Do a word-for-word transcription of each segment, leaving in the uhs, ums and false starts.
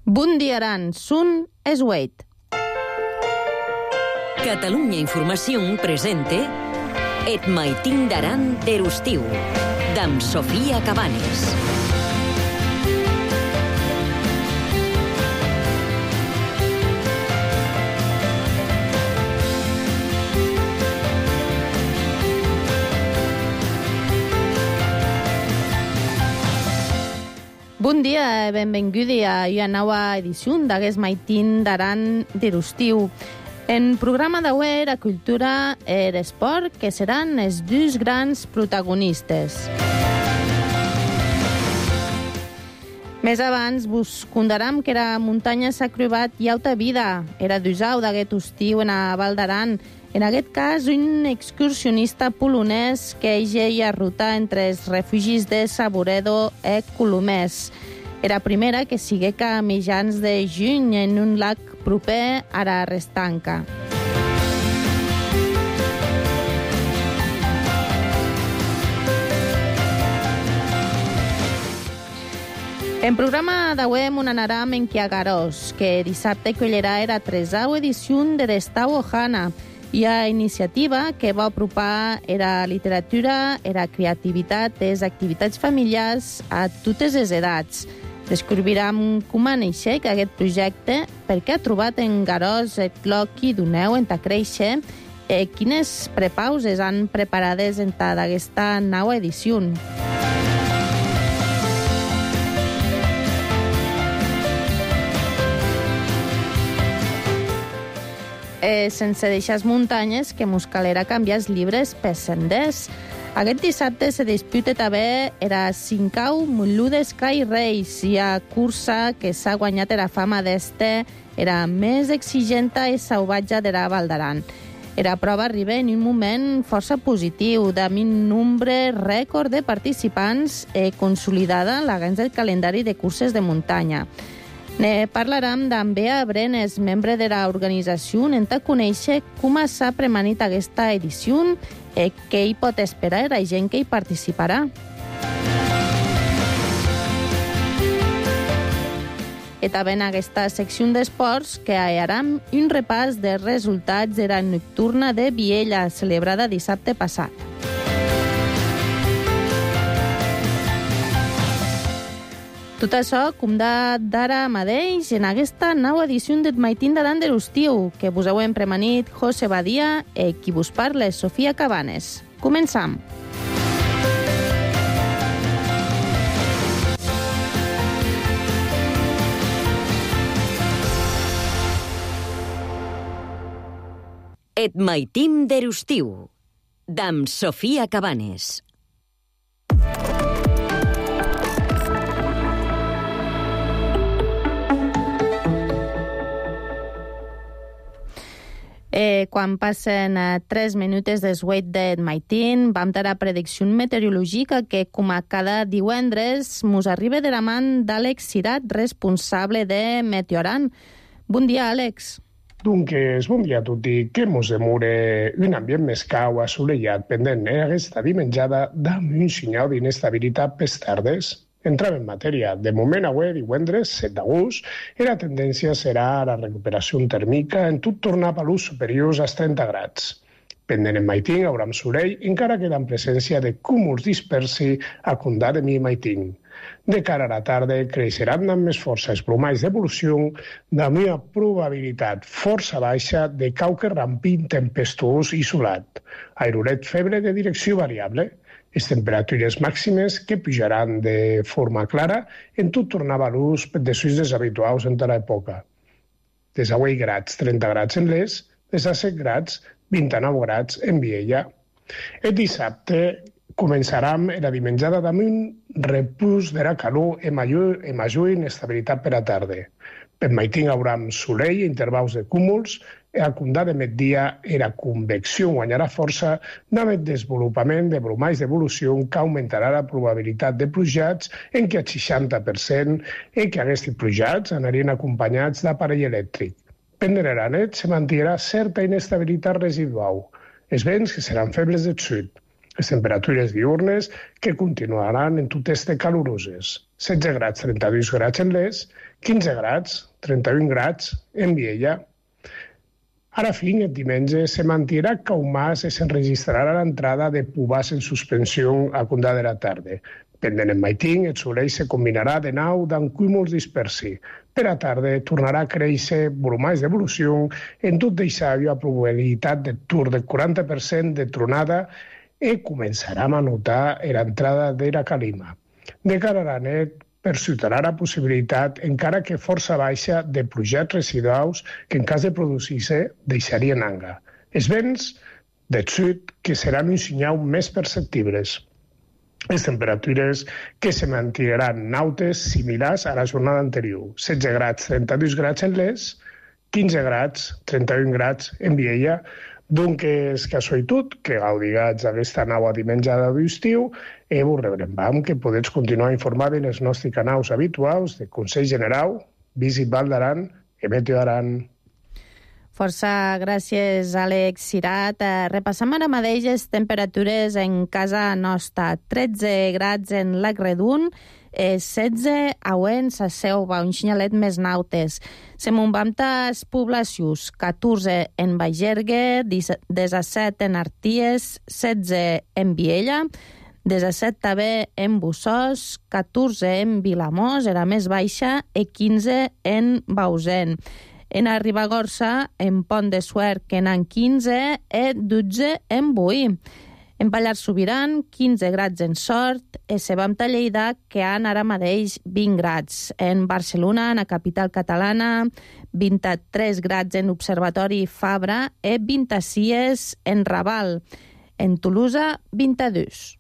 Bon dia, Aran. Sun es Wait. Catalunya Informació presente Et maitin d'Aran d'Erustiu, d'am Sofia Cabanes. Bon dia, benvengudi a una nova edició d'Aguest maitin d'Aran d'Erustiu. En programa d'avui, la cultura i l'esport, que seran els dos grans protagonistes. Més abans, vos contaram que la muntanya s'ha acrobat i auta vida. Era d'usau d'aquest estiu en a Val d'Aran. En aquest cas, un excursionista polonès que egeia ruta entre els refugis de Saboredo i Colomers. Era primera que sigué a mitjans de juny en un lac proper a la Restanca. En programa d'avui m'ho anarem en Quiagarós, que dissabte collirà la tresau edició de l'Estau Ohana, i a iniciativa que va apropar la literatura i la creativitat i les activitats familiars a totes les edats. Descobrirem com ha néixer aquest projecte, per què ha trobat en Garós el cloc i doneu en ta créixer, i quines prepauses han preparades en ta d'aquesta nova edició. Eh, sense deixar muntanyes, que mos calera canviar els llibres per senders. Aquest dissabte se disputa també era Cincau Moludes Sky Race, i a cursa que s'ha guanyat la fama d'este era més exigenta i salvatge de la Val d'Aran. La prova arriba en un moment força positiu, amb un nombre rècord de participants i consolidada l'agència del calendari de curses de muntanya. Ne parlarem amb Bea Brenes, membre de l'organització, en ta conèixer com s'ha premanit aquesta edició i què hi pot esperar la gent que hi participarà. I també en aquesta secció d'esports que farem un repàs dels resultats de la nocturna de Viella, celebrada dissabte passat. Tot això, com d'ara mateix, en aquesta nova edició d'Et maitin d'Aran d'Erustiu, que vos heu premanit José Badia i qui vos parla, Sofia Cabanes. Començam. Et maitin d'Erustiu, d'am Sofia Cabanes. Eh, quan passen eh, tres minuts des wait d'Et maitin, vam tenir la predicció meteorològica que, com a cada divendres, mos arriba de la mà d'Àlex Cirat, responsable de Meteoran. Bon dia, Àlex. Doncs, bon dia a tutti. Que mos demure un ambient més cau, assolellat, pendent eh? Aquesta dimenjada dam un senyal d'inestabilitat pels tardes. Entrem en matèria. De moment, avui, divendres, set d'agost, la tendència serà la recuperació tèrmica en tot tornar a valors superiors als trenta grads. Pendent en maitin, haurem soleil, encara que en presència de cúmuls dispersi a condar de mi maitin. De cara a la tarda, creixeran amb més força els brumalls d'evolució amb una probabilitat força baixa de cauque rampint tempestuós i solat. Airoret febre de direcció variable. Les temperatures màximes que pujaran de forma clara en tot tornar a valors de suïs deshabituals en tota l'època. Des a vuit grads, trenta grads en Les, des a set grads, vint-i-nou grads en Viella. El dissabte començarem la dimenjada amb un repús de la calor i major, i major inestabilitat per a tarda. Per maitin haurem soleil i intervals de cúmuls, i a condar de migdia la convecció guanyarà força amb el desenvolupament de brumalls d'evolució que augmentarà la probabilitat de plujats en què el seixanta per cent i que aquests plujats anarien acompanyats d'aparell elèctric. Pendent la nit se mantindrà certa inestabilitat residual. Els vents que seran febles del sud. Les temperatures diurnes que continuaran en tot este caloroses. setze grads, trenta-dos grads en Les, quinze grads, trenta-un grads en Viella. Ara fin, el diumenge, se mantirà caumàs i s'enregistrarà l'entrada de pubàs en suspensió a conda de la tarda. Pendent en maitín, el solell se combinarà de nou amb cúmuls dispersi. Per a tarda tornarà a créixer bromais d'evolució en tot deixar-hi a probabilitat de tur del quaranta per cent de tronada i començarà a notar l'entrada de la calima. De cara a la nit, perciutarà la possibilitat, encara que força baixa, de plujats residuals que en cas de produir-se deixarien anga. Els vents del sud que seran un senyal més perceptibles. Les temperatures que se mantindran nautes similars a la jornada anterior. setze grads, trenta-dos grads en Les, quinze grads, trenta-un grads en Viella. Doncs casualitat que gaudigats aquesta nova dimenjada d'estiu i vos rebrem que podeu continuar informant en els nostres canals habituals de Consell General, Visit Val d'Aran i Meteo Aran. Força gràcies, Àlex Cirat. Repassam ara mateix les temperatures en casa nostra. tretze grads en Lac Redun, setze auents a Seuva, un xinyalet més nautes. Se mumbamtas poblacions, catorze en Bagergue, disset en Arties, setze en Viella, disset també en Bussós, catorze en Vilamós, era més baixa, i quinze en Bausen. En a Ribagorça, en Pont de Suert, que n'han quinze, i dotze en Boí. En Pallars Sobirán, quinze grads en Sort, i Sebamta Lleida, que han ara mateix vint grads. En Barcelona, en la capital catalana, vint-i-tres grads en Observatori Fabra i vint-i-sis en Raval. En Tolosa, vint-i-dos.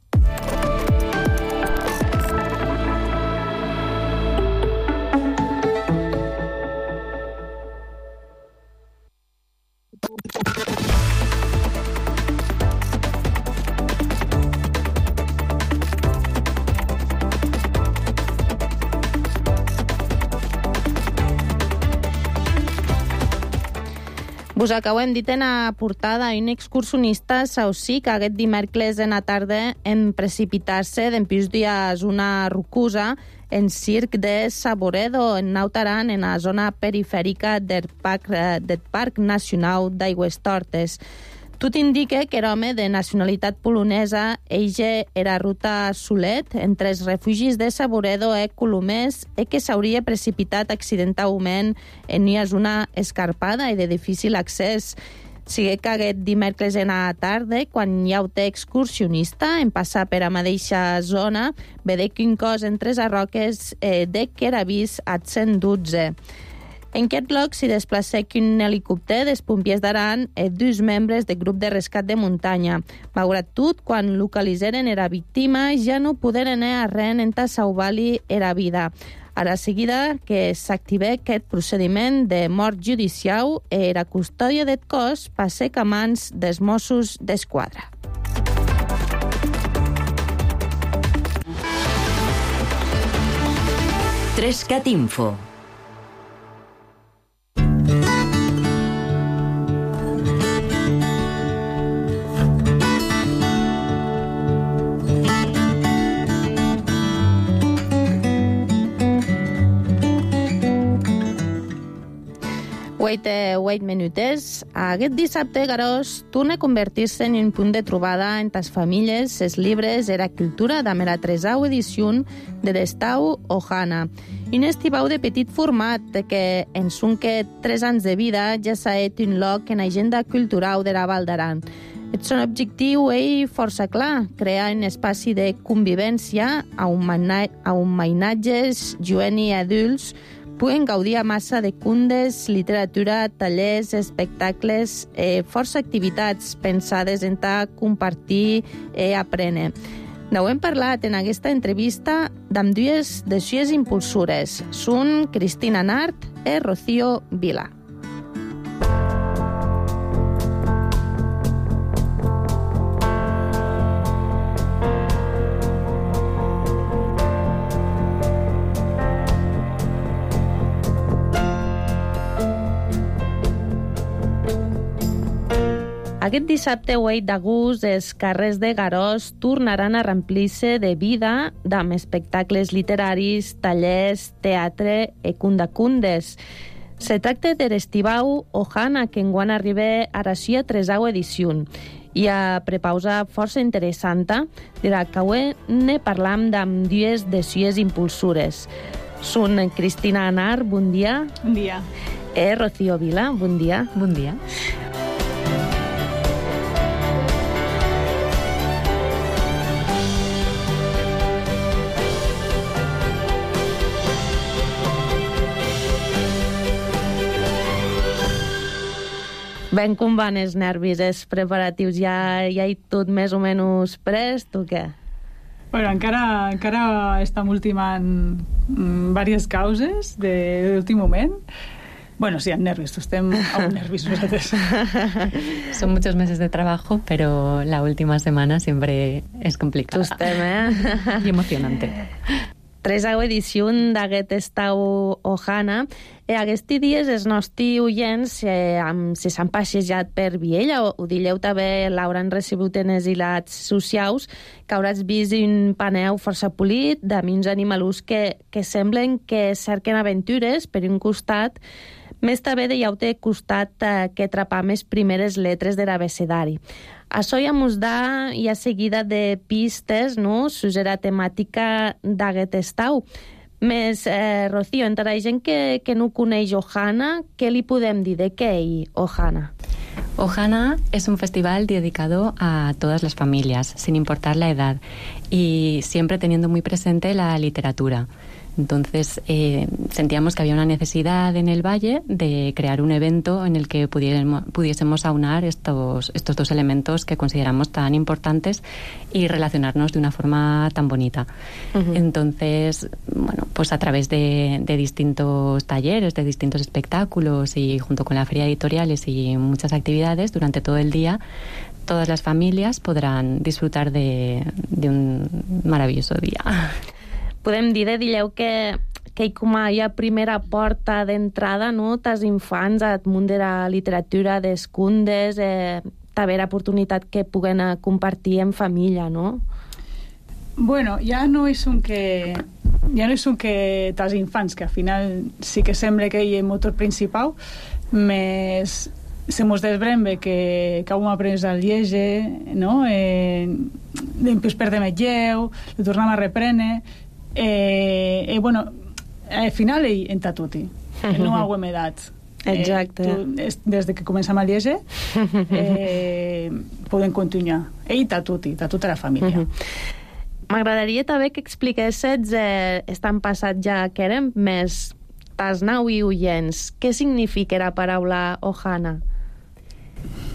Vos acabem dit en la portada un excursionista saucic aquest dimecres en la tarda en precipitar-se d'empís dies una rocosa en circ de Saboredo, en Nautaran, en la zona perifèrica del Parc, del Parc Nacional d'Aigües Tortes. Tot indica que era home de nacionalitat polonesa, eixe era ruta Solet, entre els refugis de Saboredo i Colomers, i que s'hauria precipitat accidentalment en una zona escarpada i de difícil accés. Sigui que aquest dimecres en la tarda, quan hi ha un excursionista, en passar per a mateixa zona, vede que un cos entre les roques eh, de que era vist a cent dotze. En aquest lloc s'hi desplaça un helicòpter dels pompiers d'Aran i dos membres del grup de rescat de muntanya. Malgrat tot, quan localitzaren era víctima, ja no poderen anar arren en salvar-li era vida. Ara seguida que s'activa aquest procediment de mort judicial i la custòdia del cos passa a mans dels Mossos d'Esquadra. Trescat Info. Wait, wait minutes. Aquest dissabte, Garós, torna a convertir-se en un punt de trobada entre les famílies, els llibres i la cultura de la tresau edició de l'Estau Ohana. Un estivau de petit format que en son que tres anys de vida ja s'ha fet un lloc en l'agenda cultural de la Val d'Aran. El seu objectiu és força clar, crear un espai de convivència on mainatges, joves i adults puguen gaudir a massa de cundes, literatura, tallers, espectacles, eh, força activitats pensades en ta compartir i aprendre. N'ho hem parlat en aquesta entrevista amb dues de les impulsores. Són Cristina Nart i Rocío Vila. Aquest dissabte huit d'agost els carrers de Garòs tornaran a remplir-se de vida amb espectacles literaris, tallers, teatre i cundacundes. Se tracta de l'estivau Ohana, que enguany arriba a la sia tresau edició. Hi ha prepausa força interessant, de la que avui ne parlam amb dues de sies impulsores. Són Cristina Anar, bon dia. Bon dia. E Rocío Vila, bon dia. Bon dia. Ben com van els nervis, els preparatius? Ja, ja hi tot més o menys prest o què? Bueno, encara, encara estem ultimant mm, diverses causes de, de l'últim moment. Bueno, sí, nervios, estem aún nervis nosaltres. Son muchos meses de trabajo, pero la última semana siempre es complicada. Estem, eh? Y emocionante. Tresau edició d'aquest estau Ohana. E aquests dies els nostres oients eh, amb, si s'han passejat per Viella, o, ho dilleu també, l'hauran recibut en els hilats socials, que hauràs vist un paneu força polit d'ami uns animalus que, que semblen que cerquen aventures per un costat, més també de llaute costat eh, que atrapar més primeres lletres de l'abecedari. Això ja mos da ja seguida de pistes, no?, sus la temàtica d'aquest estau. Més, eh, Rocío, entre la gent que, que no coneix Ohana, què li podem dir de què hi Ohana? Ohana es un festival dedicado a todas las familias, sin importar la edad, y siempre teniendo muy presente la literatura. Entonces, eh, sentíamos que había una necesidad en el Valle de crear un evento en el que pudiésemos, pudiésemos aunar estos, estos dos elementos que consideramos tan importantes y relacionarnos de una forma tan bonita. Uh-huh. Entonces, bueno, pues a través de, de distintos talleres, de distintos espectáculos y junto con la feria de editoriales y muchas actividades durante todo el día, todas las familias podrán disfrutar de, de un maravilloso día. Podem dir, de dilleu, que, que com hi ha primera porta d'entrada, no?, tals infants al món de la literatura, dels condes, eh, també l'oportunitat que puguen compartir en família, no? Bueno, ja no és un que... Ja no és un que tals infants, que al final sí que sembla que hi ha motor principal, més se mos desbrembe que, que hem après a llege, no? Eh, després perdem el lleu, lo tornem a reprendre. Eh, eh, bueno, al final ell entra tutti, no hauem edat. Exacte. Eh, tu, des que comencem a llegir eh, podem continuar. Ell està tutti, està tota la família. M'agradaria també que expliquessis, eh, estan passat ja que érem més tas nau i oients, què significa la paraula Ohana?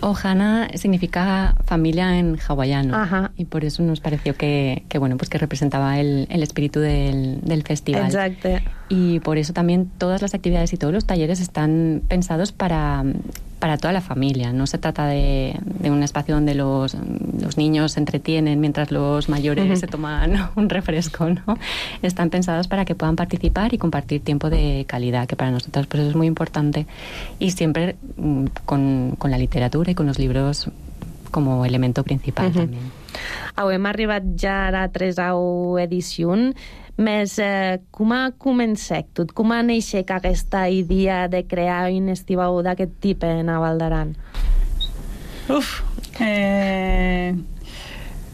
Ohana significa familia en hawaiano. Ajá. Y por eso nos pareció que, que bueno, pues que representaba el, el espíritu del, del festival. Exacto. Y por eso también todas las actividades y todos los talleres están pensados para, para toda la familia. No se trata de, de un espacio donde los, los niños se entretienen mientras los mayores uh-huh. se toman un refresco, ¿no? Están pensados para que puedan participar y compartir tiempo de calidad, que para nosotros pues es muy importante. Y siempre con, con la literatura y con los libros como elemento principal uh-huh. també. Avui hem arribat ja a la tresau edició, més eh, com ha començat tot? Com ha neixet aquesta idea de crear un estivau d'aquest tipus en Val d'Aran? Uf, eh,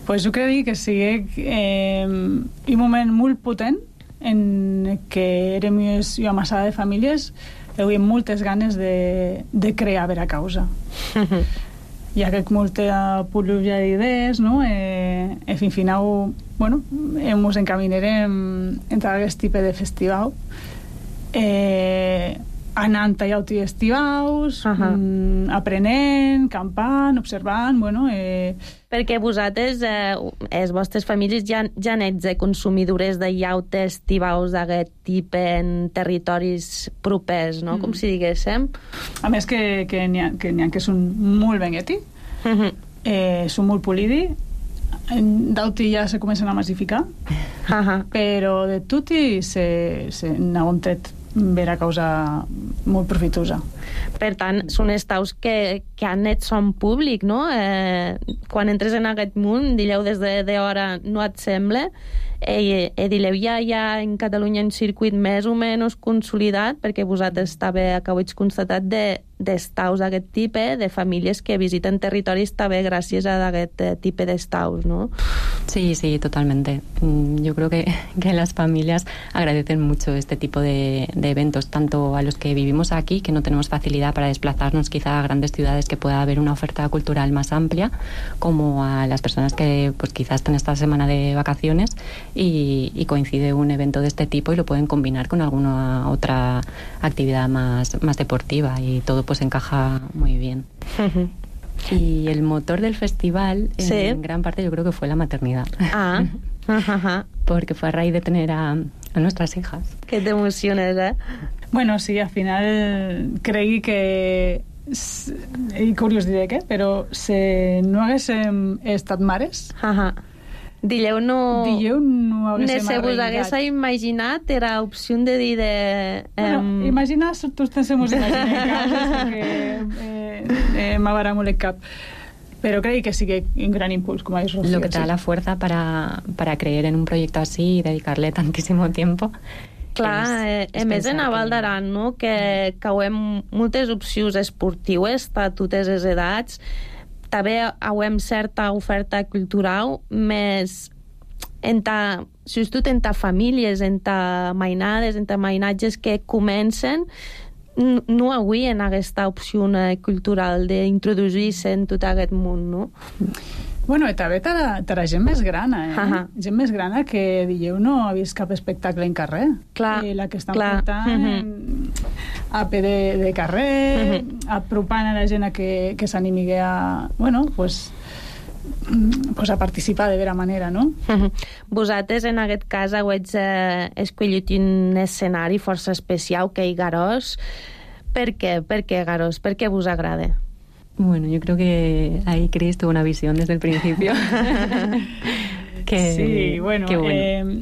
pues jo crec que sigui eh, un moment molt potent en què érem una massada de famílies que havien moltes ganes de, de crear per a causa. Hi ha molta pluja d'idees, no? Eh, en fin, final, bueno, ens encaminarem entre aquest tipus de festival, eh, anant a llauti estivaus, uh-huh. mm, aprenent, campant, observant, bueno... Eh... Perquè vosaltres, eh, les vostres famílies, ja, ja n'ets de consumidores de llaute estivaus d'aquest tipus en territoris propers, no? Mm. Com si diguéssim. A més que, que n'hi ha, que, n'hi ha que són molt bengueti, uh-huh. eh, són molt polidi, d'auti ja se comencen a massificar, uh-huh. però de tutti se, se n'han tret vera causa molt profitosa. Per tant, són estaus que, que han net son públic, no? Eh, quan entres en aquest món, dileu des de, de hora, no et sembla? Eh, eh, dileu, ja hi ha en Catalunya un circuit més o menys consolidat, perquè vosaltres també acabeu constatat de, d'estaus d'aquest tipus, de famílies que visiten territoris també gràcies a aquest tipus d'estaus, ¿no? Sí, sí, totalmente. Yo creo que, que las familias agradecen mucho este tipo de, de eventos, tanto a los que vivimos aquí, que no tenemos facilidad para desplazarnos quizá a grandes ciudades que pueda haber una oferta cultural más amplia, como a las personas que pues quizás están esta semana de vacaciones y, y coincide un evento de este tipo y lo pueden combinar con alguna otra actividad más, más deportiva y todo pues encaja muy bien. Uh-huh. Y el motor del festival, en, sí. en gran parte, yo creo que fue la maternidad. Ah. Uh-huh. Porque fue a raíz de tener a, a nuestras hijas. Que t'emociones, eh? Bueno, sí, al final cregui que... I curiós diré què, però si no haguéssim estat mares... Uh-huh. Dileu no... Dileu no haguéssim se vos hagués imaginat, era opció de dir de... Bueno, um... imaginar, tots ens hemos imaginat cases, perquè eh, eh, m'agrada molt el cap. Pero creo que sí que un gran impulso, como habéis Rocío. Lo que te da la fuerza para, para creer en un proyecto así y dedicarle tantísimo tiempo. Clar, eh, a més en a Val d'Aran, no? que cauem moltes opcions esportives a totes les edats, també hauem certa oferta cultural, més en ta, sobretot en ta famílies, en ta mainades, en ta mainatges que comencen, no avui en aquesta opció cultural d'introduir-se en tot aquest món, no? Bueno, i també per a, per a gent més grana, eh? Uh-huh. Gent més grana que dieu no ha vist cap espectacle en carrer. Clar, eh, la que estan clar. portant uh-huh. a pe de, de carrer, uh-huh. apropant a la gent a que, que s'animi a, bueno, pues, pues a participar de vera manera, no? Uh-huh. Vosaltres, en aquest cas, heu eh, escollit un escenari força especial, que és Garòs. Per què? Per què Garòs? Per què vos agrada? Bueno, yo creo que ahí Cris tuvo una visión desde el principio. que, sí, bueno, que bueno. Eh,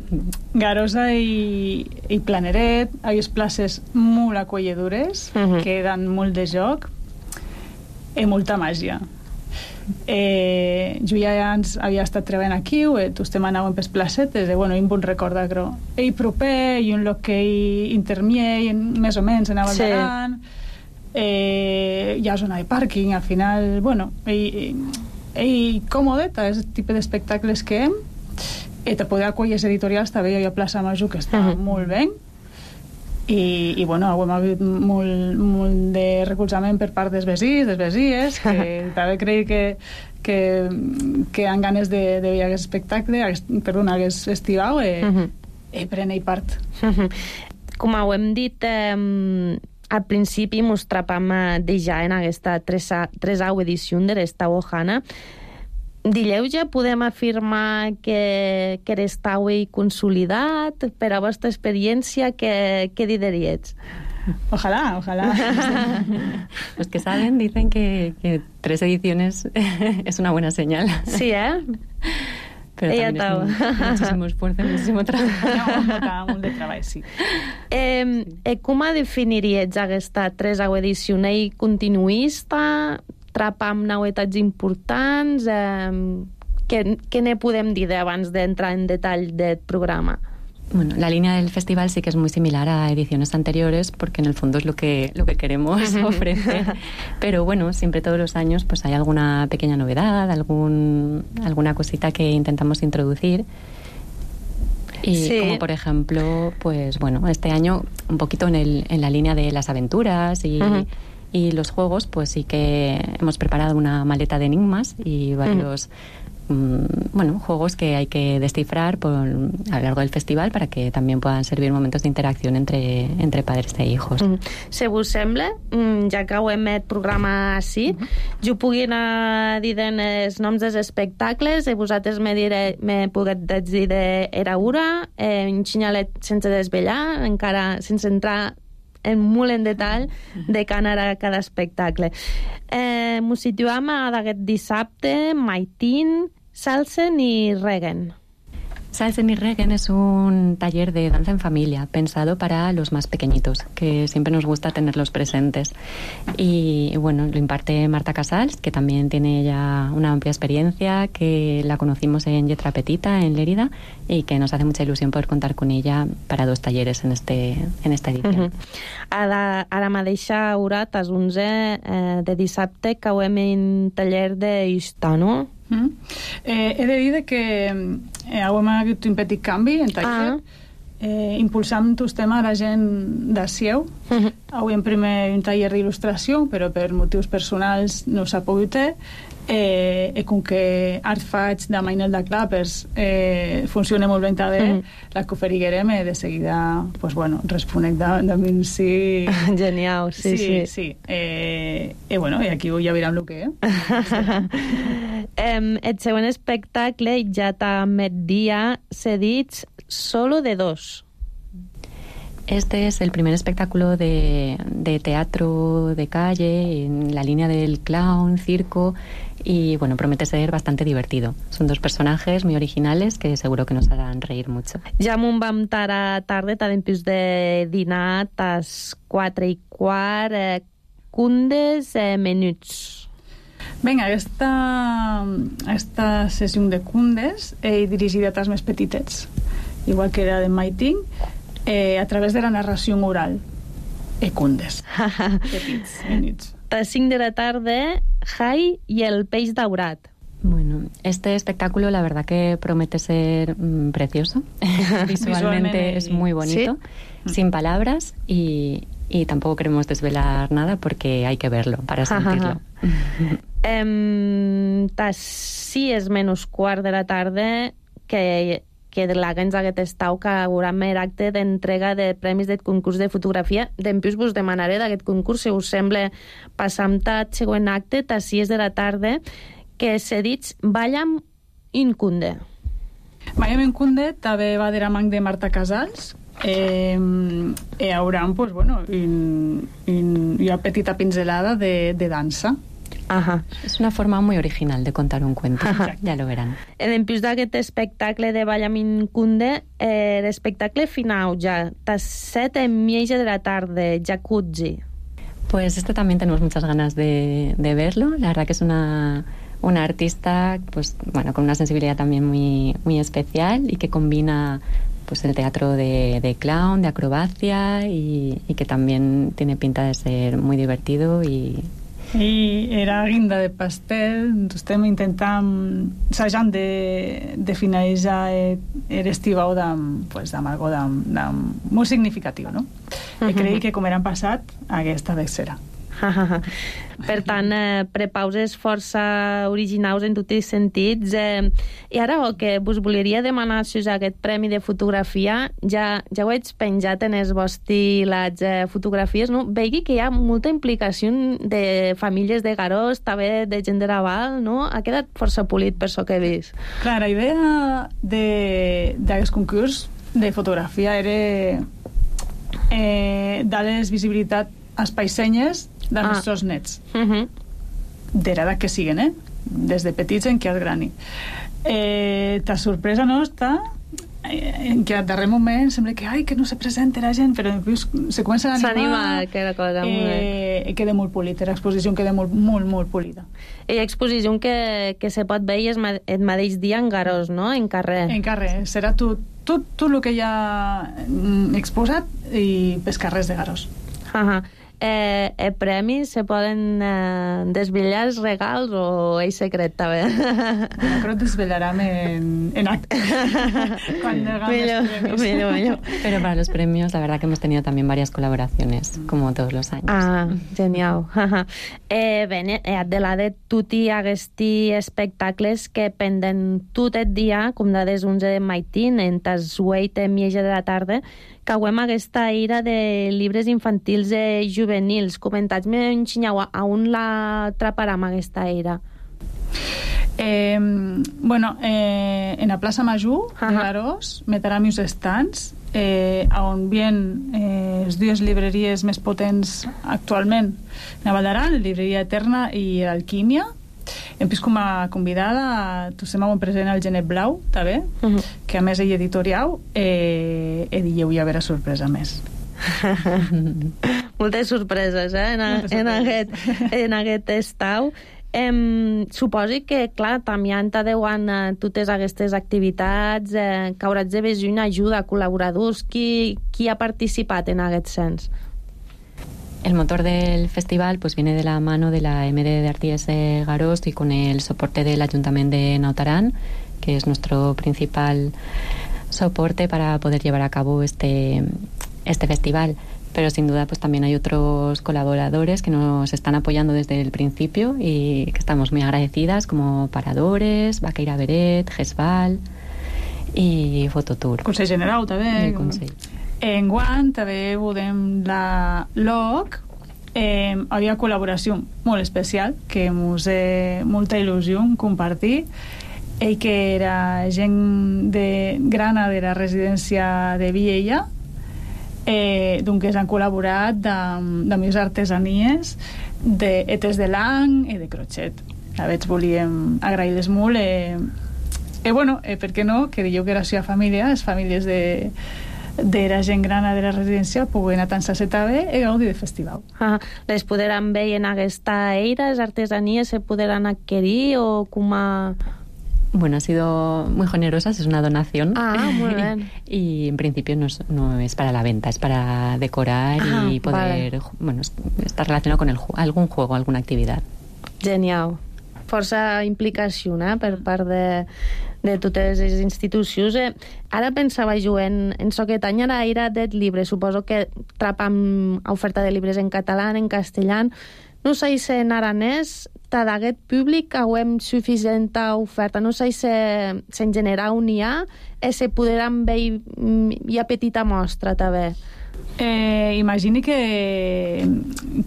Garosa i, i Planeret, hi ha places molt acolledures, uh-huh. que dan molt de joc i molta màgia. Eh, jo ja ans havia estat treballant aquí, eh, tu estem anant pels placetes, eh, bueno, i em vull recordar, però ell proper i un lloc que ell intermier, més o menys, anava sí. endavant. Eh, hi ha zona de pàrquing, al final, bueno, i, i còmodeta, és el tipus d'espectacles que hem, i te poder acollir editorials, també hi ha Plaça Major, que està uh-huh. molt bé, i, i bueno, hem hagut molt, molt de recolzament per part dels vecins, dels vesies, que també crec que, que, que han ganes de, de veure aquest espectacle, perdona, aquest festival, i, uh-huh. i prenen part. Uh-huh. Com ho hem dit, eh, al principi mos trapam de ja en aquesta tresau edició de l'Estau Ohana. Dileu ja podem afirmar que, que l'estau és consolidat? Per a vostra experiència, què, què diríeis? Ojalá, ojalá. Los que saben dicen que, que tres ediciones es una buena señal. Sí, ¿eh? Pero Ella también es un, muchísimo esfuerzo, muchísimo trabajo. No, molt de treball, sí. Eh, eh, com definiries aquesta tresau edició? Ell continuista, trapa amb novetats importants? Eh, què què ne podem dir abans d'entrar en detall del programa? Bueno, la línea del festival sí que es muy similar a ediciones anteriores, porque en el fondo es lo que, lo que queremos ofrecer. Pero bueno, siempre todos los años pues hay alguna pequeña novedad, algún, alguna cosita que intentamos introducir. Y sí. como por ejemplo, pues bueno, este año un poquito en, el, en la línea de las aventuras y, uh-huh. y los juegos, pues sí que hemos preparado una maleta de enigmas y varios... Uh-huh. bueno, juegos que hay que descifrar por, a lo largo del festival para que también puedan servir momentos de interacción entre, entre padres e hijos. Mm. Si vos sembla, ja que ho hem el programa així, mm-hmm. jo pugui anar dient els noms dels espectacles i vosaltres me, dire, me puguet dir d'era ura, eh, un xinyalet sense desvetllar, encara sense entrar en molt en detall de què anarà cada espectacle. Eh, M'ho situam a d'aquest dissabte, Maitín, Salsen i Regen. Salsen y Regen es un taller de danza en familia pensado para los más pequeñitos, que siempre nos gusta tenerlos presentes. Y bueno, lo imparte Marta Casals, que también tiene ya una amplia experiencia, que la conocimos en Lletra Petita, en Lérida, y que nos hace mucha ilusión poder contar con ella para dos talleres en, este, en esta edición. Uh-huh. Ara, ara mateixa, Urat, és onze eh, de dissabte, que hem en taller d'Ista, no? Mm. Eh, he de dir que eh, hem hagut un petit canvi en taller. Ah. Eh, impulsant el tema a la gent de Sieu. Uh-huh. Avui en primer un taller d'il·lustració, però per motius personals no s'ha pogut fer. Eh, i com que art faig de Mainel de Clapers eh, funciona molt ben també, mm. la que oferiguerem eh, de seguida pues, bueno, responec de, de mi sí. Genial, sí, sí, sí, sí. Eh, i bueno, i aquí ja veurem el que eh? um, el següent espectacle ja també dia s'ha dit Solo de dos. Este es el primer espectáculo de, de teatro de calle en la línea del clown, circo, y bueno, promete ser bastante divertido. Son dos personajes muy originales que seguro que nos harán reír mucho. Ja m'ho vam tara tarda, tant en de dinar, tas quatre i quart, eh, cundes, eh, menuts. Vinga, aquesta, aquesta sessió de cundes he dirigida a tas més petitets, igual que era de Maiting, Eh, a través de la narració oral e cundes petits, minuts. A cinc de la tarda, Jai y el peix daurat. Bueno, este espectáculo la verdad que promete ser mmm, precioso. Visualmente, Visualmente es muy bonito, ¿sí? Sin palabras, y, y tampoco queremos desvelar nada porque hay que verlo para sentirlo. um, tas sis menys quart de la tarda, que que de l'Agens aquest estau que haurà mer acte d'entrega de premis del concurs de fotografia. Dempeus vos demanaré d'aquest concurs, si us sembla, passar amb el següent acte, a sis de la tarda, que s'ha dit Ballam in Cunde. Ballam in Cunde també va de la mà de Marta Casals. Eh, hi haurà pues, bueno, un, un, una petita pinzelada de, de dansa. Ajá. Es una forma muy original de contar un cuento. Ajá. Ya lo verán. En plus d'aquest espectacle de Ballamin Kunde, eh, l'espectacle final ja, tas set en mitja de la tarda, Jacuzzi. Pues este también tenemos muchas ganas de, de verlo. La verdad que es una, una artista pues, bueno, con una sensibilidad también muy, muy especial y que combina pues, el teatro de, de clown, de acrobacia y, y que también tiene pinta de ser muy divertido y... I era guinda de pastel, estem intentant assajant de, de finalitzar l'estiu amb pues, algo de, de, molt significatiu, no? Uh-huh. I crec que com eren passat, aquesta vez serà. Per tant, eh, prepauses força originals en tots els sentits. Eh, I ara el que vos volia demanar si us aquest premi de fotografia, ja, ja ho he penjat en els vostres les eh, fotografies, no? Vegi que hi ha molta implicació de famílies de Garós, també de gent de Raval, no? Ha quedat força polit per això que he vist. Clar, la idea d'aquest concurs de fotografia era eh, dar-les visibilitat als païsenyes dels ah. nostres nets. Uh-huh. De l'edat que siguen, eh? Des de petits en què és grani. Eh, ta sorpresa nostra en què al darrer moment sembla que, ai, que no se presenta la gent, però després se comença a animar. S'anima, que la cosa eh, i queda molt polita, l'exposició queda molt, molt, molt polida. I l'exposició que, que se pot veure el mateix dia en Garós, no? En carrer. En carrer. Serà tot, tot, tot el que hi ha exposat i pels carrers de Garós. Ahà. Uh-huh. Eh, eh, premis se poden eh, desvetllar els regals o és secret també? Bueno, creo que desvelarán en, en acte cuando hagan millor, los premios. Millor, millor. Pero para los premios la verdad que hemos tenido también varias colaboraciones como todos los años. Ah, genial. eh, Bene, Adelaide, tutti aquests espectacles que penden tot el dia, com de des onze de maitín, en tas vuit i mitja de la tarda, que hauem aquesta ira de llibres infantils i juvenils. Comentats-me en xinyau, a on la atraparà aquesta ira? Eh, bueno, eh, en la plaça Major de Garós metrà uns estants eh, on vien eh, les dues llibreries més potents actualment, la Val d'Aran, la Llibreria Eterna i l'Alquímia, hem vist com a convidada, tu se m'ho present al Genet Blau, també, uh -huh. que a més ell editorial, eh, e dijeu hi haurà sorpresa més. Moltes sorpreses, eh, en, a, en, aquest, en aquest estau. Em, suposi que, clar, també t'adeuan eh, totes aquestes activitats, eh, que hauràs de veure una ajuda a col·laboradors. Qui, qui ha participat en aquest sens? El motor del festival pues viene de la mano de la M D de Arties de Garós y con el soporte del Ayuntamiento de Naut Aran, que es nuestro principal soporte para poder llevar a cabo este, este festival. Pero sin duda pues también hay otros colaboradores que nos están apoyando desde el principio y que estamos muy agradecidas, como Paradores, Vaqueira Beret, Gesval i Fototour. Consell General també. El Consell. En Guant també veurem la L O C. Eh, havia col·laboració molt especial que ens té molta il·lusió compartir. Ell que era gent de grana de la residència de Viella, eh, doncs han col·laborat de, de més artesanies d'etes de lang i de crochet. A veure, volíem agrair-les molt. Eh, eh, bueno, eh, per què no? Que dieu que era la seva família, les famílies de de la gent grana de la residència puguen atansar-se també i gaudir del festival. Ah, les podran veure en aquesta eira, les artesanies se podran adquirir o com a... Bueno, ha sido muy generosas, es una donación. Ah, muy bien. Y en principio no es, no es para la venta, es para decorar ah, y poder, vale. bueno, estar relacionado con el, algún juego, alguna actividad. Genial. Força implicació, eh, per part de, de totes les institucions. Eh, ara pensava jo en, en aquest any ara era det llibre, suposo que trapam oferta de llibres en català, en castellà. No sé si en aranès d'aguest públic hauem suficient oferta. No sé si, si en general n'hi ha i se podran veure hi ha petita mostra també. Eh, imagini que,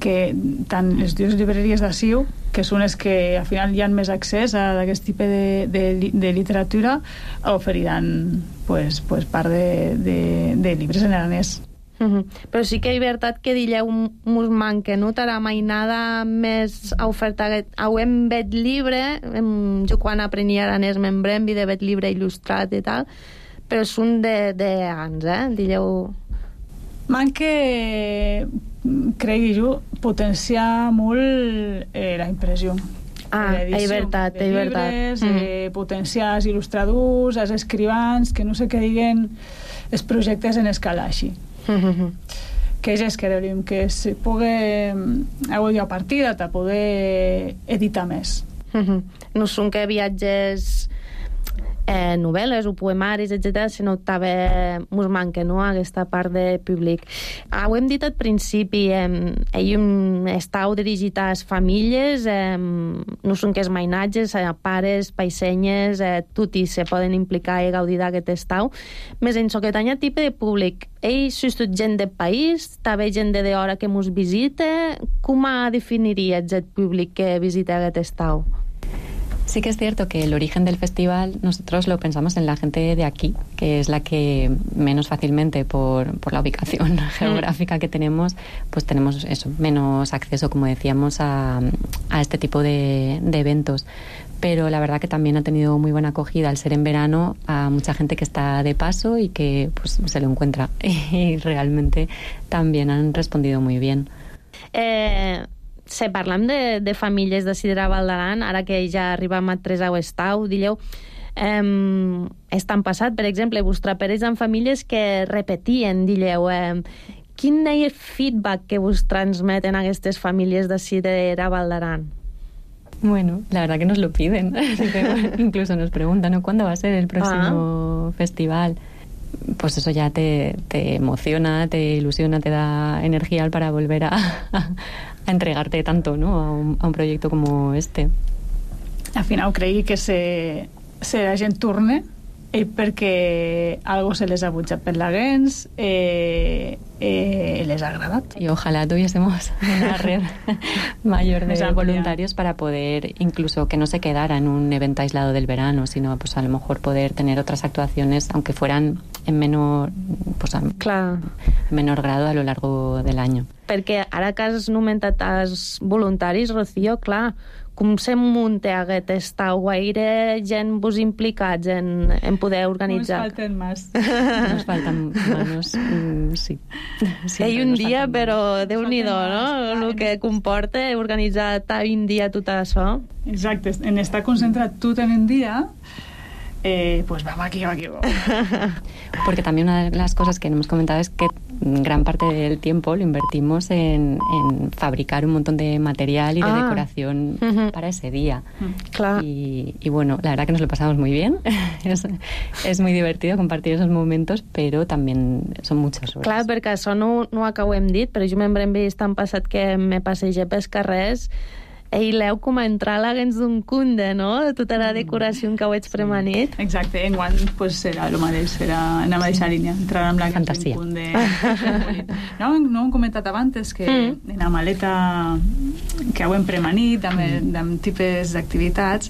que tant les dues llibreries d'Aciu, que són les que al final hi ha més accés a aquest tipus de, de, de literatura, oferiran pues, pues, part de, de, de llibres en aranès. Uh-huh. Però sí que és veritat que dilleu mos manca, no? Tara mai nada més oferta. Hauem vet llibre, jo quan aprenia aranès m'embrembi de vet llibre il·lustrat i tal, però són de, de anys, eh? Dilleu... Manca, cregui jo, potenciar molt eh, la impressió. Ah, és veritat, és veritat. Llibres, mm. eh, potenciar els il·lustradors, els escrivans, que no sé què diguen els projectes en escala així. Mm-hmm. Que és que deuríem que se pugui avui a partida de poder editar més. Mm-hmm. No són que viatges eh, novel·les o poemaris, etcètera, sinó també mos manca, no?, aquesta part de públic. Ah, ho hem dit al principi, eh, ell estàu dirigit a les famílies, eh, no són que els mainatges, eh, pares, paisenyes, eh, tutti se poden implicar i gaudir d'aquest estau. Més en aquest any tipus de públic, ell és tot gent del país, també gent de d'hora que mos visita. Com definiria aquest públic que visita aquest estau? Sí que es cierto que el origen del festival nosotros lo pensamos en la gente de aquí, que es la que menos fácilmente por, por la ubicación geográfica que tenemos, pues tenemos eso, menos acceso, como decíamos, a, a este tipo de, de eventos. Pero la verdad que también ha tenido muy buena acogida al ser en verano a mucha gente que está de paso y que pues se lo encuentra. Y realmente también han respondido muy bien. Eh... Si parlem de, de famílies de Sidra Val d'Aran, ara que ja arribem a tres a Estau, dilleu, eh, estan passat, per exemple, vostre parells en famílies que repetien, dilleu, eh, quin és el feedback que vos transmeten aquestes famílies de Sidra Val d'Aran? Bueno, la verdad que nos lo piden. Incluso nos preguntan, ¿no?, ¿cuándo va a ser el próximo ah. festival? Pues eso ya te, te emociona, te ilusiona, te da energía para volver a, a, a entregarte tanto, ¿no?, a un, a un proyecto como este. Al final cregui que se, se la gent torne eh, perquè algo se les ha butxat per la gens, eh, eh, les ha agradat. Y ojalá tuviésemos una red mayor de voluntarios para poder, incluso que no se quedara en un evento aislado del verano, sino pues a lo mejor poder tener otras actuaciones, aunque fueran en menor, pues, a, Clar. en menor grado a lo largo del año. Perquè ara que has nomentat els voluntaris, Rocío, clar, com se munta aquest estau? Gaire gent vos implicats en, en poder organitzar? Nos falten más. Nos faltan manos, mm, sí. Hi un dia, però Déu-n'hi-do, no? El que comporta organitzar un dia tot això. Exacte, en estar concentrat tot en un dia, eh, pues vamos aquí, vamos aquí. Porque también una de las cosas que no hemos comentado es que gran parte del tiempo lo invertimos en, en fabricar un montón de material y de ah. decoración uh-huh. para ese día. Clar. Y, y bueno, la verdad que nos lo pasamos muy bien. es, es muy divertido compartir esos momentos, pero también son muchas horas. Clar, perquè això no, no ho acabem dit, però jo m'hem vist tan passat que me passegé pels carrers i l'heu com a entrar a l'agents d'un cunde, no? De tota la decoració que ho ets premanit. Sí. Exacte, en guant pues, serà el mateix, serà en la mateixa línia, entrar amb l'agents d'un cunde. No, no hem comentat abans que mm. en la maleta que ho hem premanit, amb, mm. amb tipus d'activitats,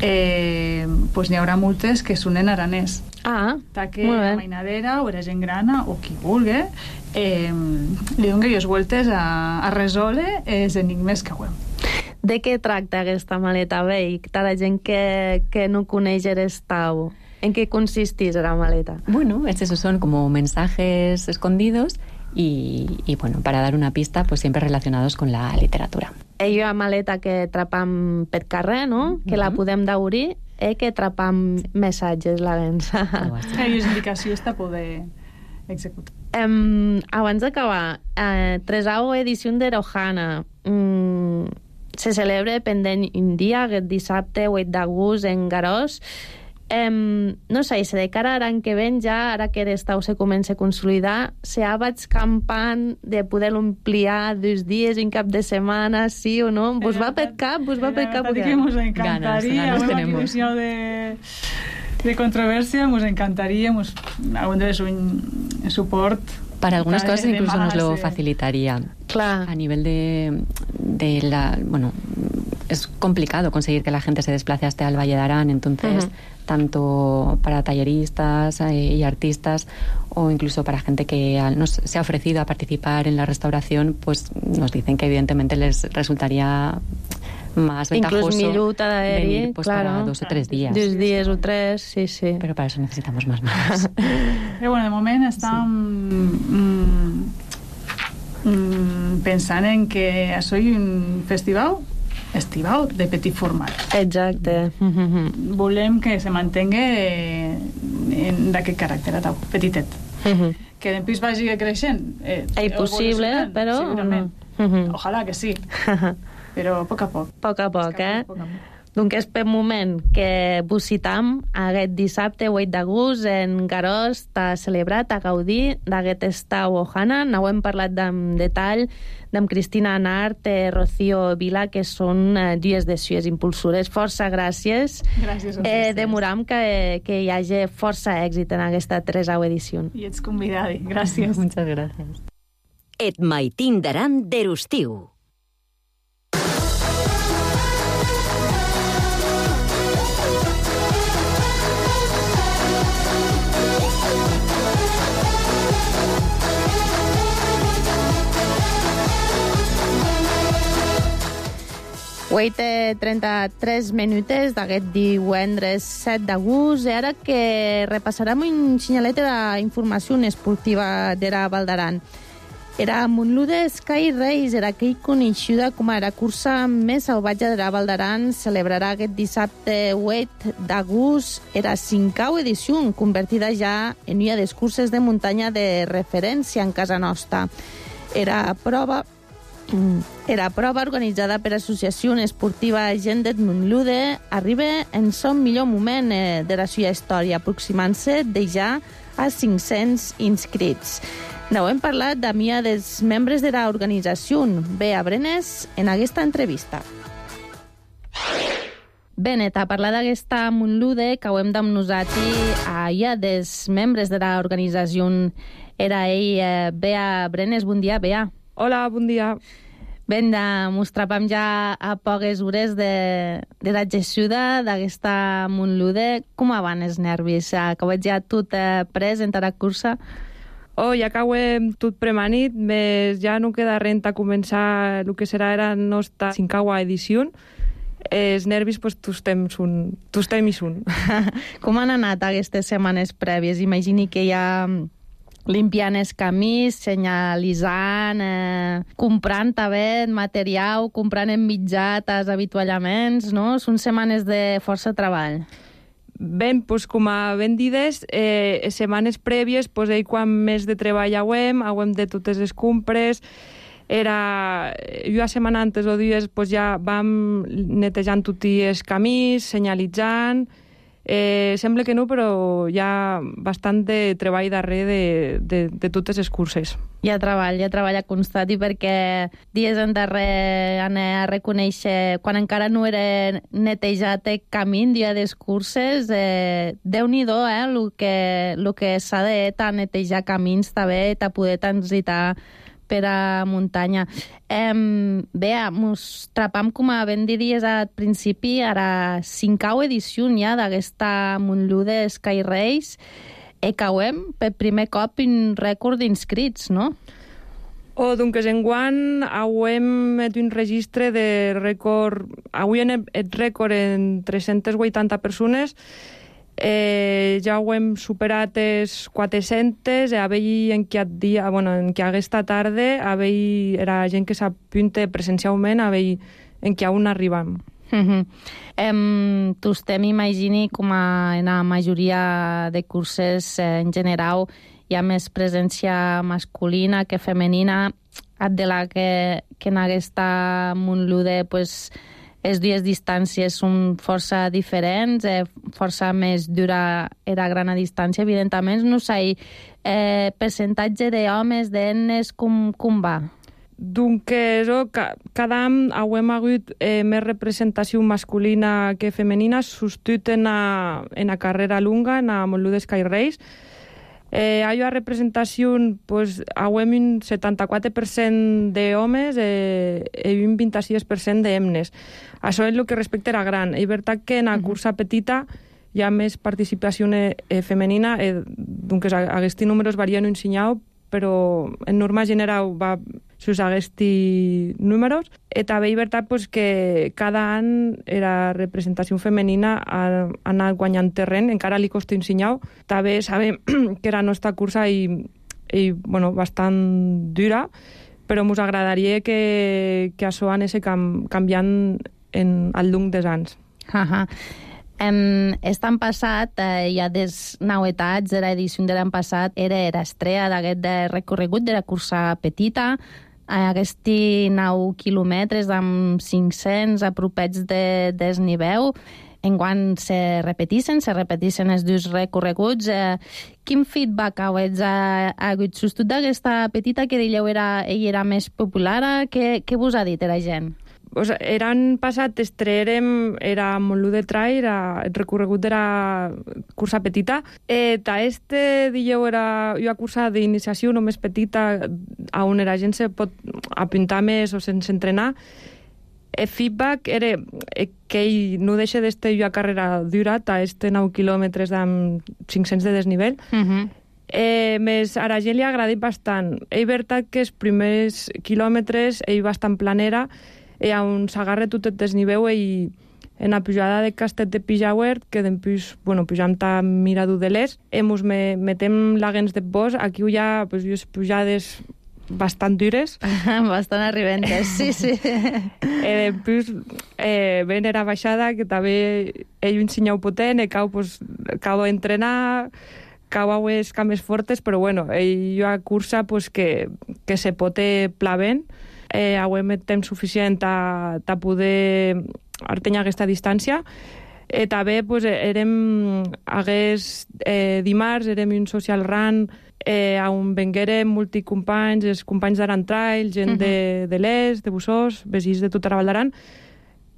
eh, pues n'hi haurà moltes que són en aranès. Ah, que la mainadera o la gent grana o qui vulgui eh, li doni les vueltes a, a resoldre els enigmes que ho hem. De què tracta aquesta maleta, Bei? De la gent que, que no coneix l'estau. ¿En qué consistís la maleta? Bueno, estos son como mensajes escondidos y, y bueno, para dar una pista, pues siempre relacionados con la literatura. Hi ha maleta que trapam per carrer, no? Que uh-huh. la podem d'obrir i que trapam sí. missatges, la vença. Hi ha indicacions de poder executar. Um, abans d'acabar, uh, tresau edició d'Erojana. Um, se celebra pendent un dia, aquest dissabte, vuit d'agost, en Garòs. Um, no sé, se de cara a l'any que ven ja, ara que l'estau se comença a consolidar, se ha vaig campant de poder-lo ampliar dos dies, un cap de setmana, sí o no? Vos va per cap? Vos va per cap? La veritat que mos encantaria, ganes, ganes una edició de, de controvèrsia, mos encantaria, mos hagués un suport. Para algunas de, cosas incluso nos lo de... facilitaría. Claro. A nivel de, de la... Bueno, es complicado conseguir que la gente se desplace hasta el Valle de Arán, entonces, uh-huh. tanto para talleristas eh, y artistas, o incluso para gente que nos se ha ofrecido a participar en la restauración, pues nos dicen que evidentemente les resultaría más ventajoso venir pues, claro. para dos o tres días. Dos días o tres, sí, sí. Pero para eso necesitamos más manos. Però bueno, de moment estàvem sí. mm, pensant en que això és un festival estival de petit format. Exacte. Mm-hmm. Volem que se mantingui en d'aquest caràcter petitet. Mm-hmm. Que després vagi creixent. Eh, és possible, però... Segurament. Mm-hmm. Ojalà que sí. Però a poc a poc. Poc a poc, eh? Poc a poc. Donc és per moment que vos citam aquest dissabte vuit d'agost en Garòs t'ha celebrat, a gaudir d'aquest estau Ohana. No hem parlat en detall d'en Cristina Nart i Rocío Vila, que són eh, dues de sues impulsores. Força gràcies. Gràcies a eh, Demoram que, que hi hagi força èxit en aquesta tresau edició. I ets convidada. Gràcies. Muchas gracias. Et maitin d'Aran d'Erostiu. vuit i trenta-tres minutes d'aquest divendres set d'agost, i ara que repassarem un senyalet d'informació esportiva de la Val d'Aran. Era Montlude Sky Race, era aquell coneixuda com a la cursa més salvatge de la Val d'Aran, celebrarà aquest dissabte vuit d'agost. Era cinquau edició, convertida ja en una de les curses de muntanya de referència en casa nostra. Era prova Era prova organitzada per l'associació esportiva Gent de Montlude, arriba en son millor moment de la seva història, aproximant-se de ja a cinc-cents inscrits. No hem parlat de mi dels membres de l'organització, Bea Brenes, en aquesta entrevista. Benet, a parlar d'aquesta Montlude, que ho hem amb nosaltres a ja dels membres de l'organització. Era ell, eh, Bea Brenes. Bon dia, Bea. Hola, bon dia. Ben, mos trapam ja a poques hores de, de la gessuda d'aquesta Montlude. Com van els nervis? Acabeu ja tot eh, pres en la cursa? Oh, ja que hem tot premanit, més ja no queda res a començar el que serà la nostra cinquena edició. Els nervis, pues, tu temps un, tu temps un. Com han anat aquestes setmanes prèvies? Imagini que ja limpiant els camins, senyalitzant, eh, comprant també material, comprant en mitjat els avituallaments, no? Són setmanes de força treball. Ben, pues, com a ben dides, eh, setmanes prèvies, pues, ell quan més de treball hauem, hauem de totes les compres, era... Jo a setmana antes o dies pues, ja vam netejant tots els camins, senyalitzant... Eh, sembla que no, però hi ha bastant de treball darrere de, de, de totes les curses. Hi ha treball, hi ha treball a constat, i perquè dies endarrere anar a reconèixer, quan encara no era netejat el camí, dia de les curses, eh, Déu-n'hi-do, eh, el que, el que s'ha de netejar camins també, a poder transitar per a muntanya. Eh, bé, mos trapam, com a ben diries al principi, a la cinquena edició ja d'aquesta Montlude Sky Race. E cauem per primer cop un rècord d'inscrits, no? O, doncs, enguany hauem fet un registre de rècord... Avui hem el rècord en tres-centes vuitanta persones. Eh, ja ho hem superat els quatre-centes, e avui en què dia, bueno, en què aquesta tarda avui era gent que s'apunta presencialment, avui en què on arribam. Mm-hmm. em, Tostem, imagini, com a, en la majoria de curses eh, en general hi ha més presència masculina que femenina, de la que, que en aquesta Montlude pues, els dies distàncies són força diferents, eh, força més dura era gran distància, evidentment. No sé, eh, percentatge d'homes, d'ennes, com, com va? Doncs oh, ca, cada any hem hagut eh, més representació masculina que femenina, substitut en la, en la carrera lunga, en la Montlude Sky Race. Eh, hi ha representació, pues, hem un setanta-quatre per cent d'homes eh, i un vint-i-sis per cent d'hemnes. Això és el que respecta a la gran. És veritat que en la cursa petita hi ha més participació eh, femenina, eh, doncs aquests números varien un senyal, però en norma general va sus aquests números. I també és veritat pues, que cada any la representació femenina ha anat guanyant terreny, encara li costa un senyal. També sabem que la nostra cursa és, és bueno, bastant dura, però ens agradaria que, que això anés cam, canviant en, al llarg dels anys. Uh-huh. En estan passat, eh, hi ha des novetats de l'edició de l'any passat, era l'estrella d'aquest de recorregut de la cursa petita, eh, aquests nou quilòmetres amb cinc-cents apropets de desnivell. Enguany se repeteixen, se repeteixen els dos recorreguts. Eh, quin feedback heu ha hagut? Substitut d'aquesta petita que dieu era, ell era més popular, què, què vos ha dit la gent? Pues, eren passat, estrearem, era Montlude Trail, era el recorregut de la cursa petita. Eh, ta este, dieu, era una cursa d'iniciació només petita, on la gent se pot apuntar més o sense entrenar. El feedback era que ell no deixa d'estar una carrera dura, ta este nou quilòmetres amb cinc-cents de desnivell. Uh-huh. Eh, més a la gent li ha agradat bastant. És veritat que els primers quilòmetres ell bastant planera, i on s'agarra tot el desnivell i en la pujada de Castet de Pijauer, que després, bueno, pujam ta Mirador de l'Est, i mos me, metem laguens de bosc, aquí hi ha pues, pujades bastant dures. Bastant arribentes, sí, sí. I després eh, ven era baixada, que també ell un senyal potent, i cau, pues, cau a entrenar, cau a les cames fortes, però bueno, ell hi ha cursa pues, que, que se pot plavent, eh, hauem temps suficient a, a poder artenyar aquesta distància. Eh, també pues, érem hagués eh, dimarts, érem un social run eh, on venguérem multicompanys, els companys d'Aran Trail, gent uh-huh. de, de l'Est, de Bussós, veïns de tota la Val d'Aran.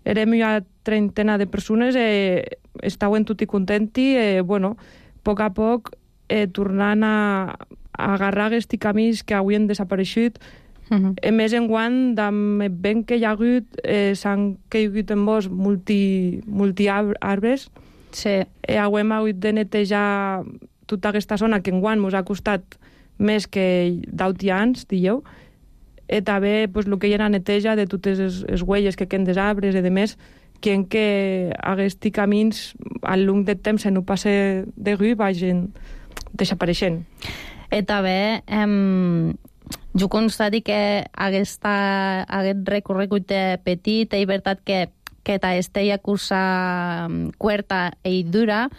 Érem una trentena de persones i eh, estàvem tots contents i, eh, bueno, a poc a poc eh, tornant a, a agarrar aquests camins que avui han desapareixut. Uh-huh. A més, enguany, amb el vent que hi ha hagut, eh, s'han caigut en bosc multi, multi arbres. Sí. Eh, hem hagut de netejar tota aquesta zona que enguany ens ha costat més que d'auti anys, dieu. I també pues, el que hi ha neteja de totes les, les huelles que queden dels arbres i de més, que en que aquests camins al llarg del temps no passa de rui vagin desapareixent. I també em, jo constati que aquesta, aquest recorregut petit és veritat que, que aquesta cursa curta i dura,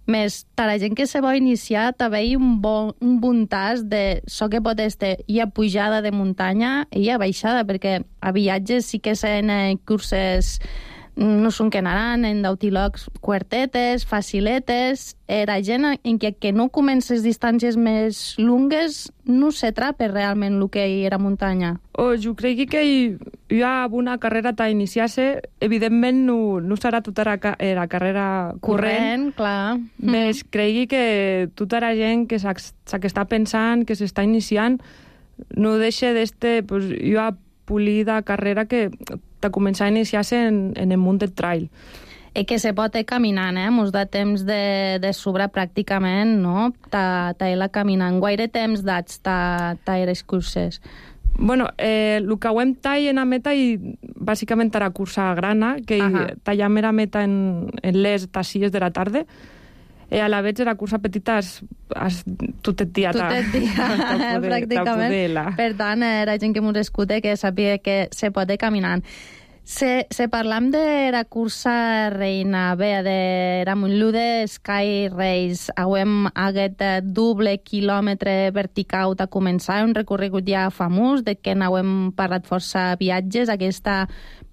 més per la gent que se va iniciar també hi ha un bon, un bon tas de so que pot estar hi ha pujada de muntanya i hi ha baixada, perquè a viatges sí que són curses no són que anaran en d'autilocs cuartetes, faciletes, era gent en què, que no comences distàncies més lungues no s'atrapa realment el que hi era muntanya. Oh, jo crec que hi, hi ha una carrera a iniciar-se, evidentment no, no serà tota la, la carrera corrent, corrent clar. Més mm. crec que tota la gent que s'està pensant, que s'està iniciant, no deixa d'este, pues, hi ha polida carrera que de començar a iniciar-se en, en el món del trail. I que se pot ir caminant, eh? Mos da temps de, de sobre pràcticament, no? Ta, ta ir caminant. Guaire temps dats ta, ta les curses? Bueno, eh, el que ho hem tall en la meta i bàsicament era cursa grana, que tallem la meta en, en les tassies de la tarda, i a la vez la cursa petita es, es, tot el dia. Tot el dia, pràcticament. Per tant, era gent que mos escuta que sàpiga que se pot ir caminant. Se, se parlam de la cursa reina, bé, de la Montlude Sky Race, hauem aquest doble quilòmetre vertical a començar, un recorregut ja famós, de que n'hauem parlat força viatges, aquesta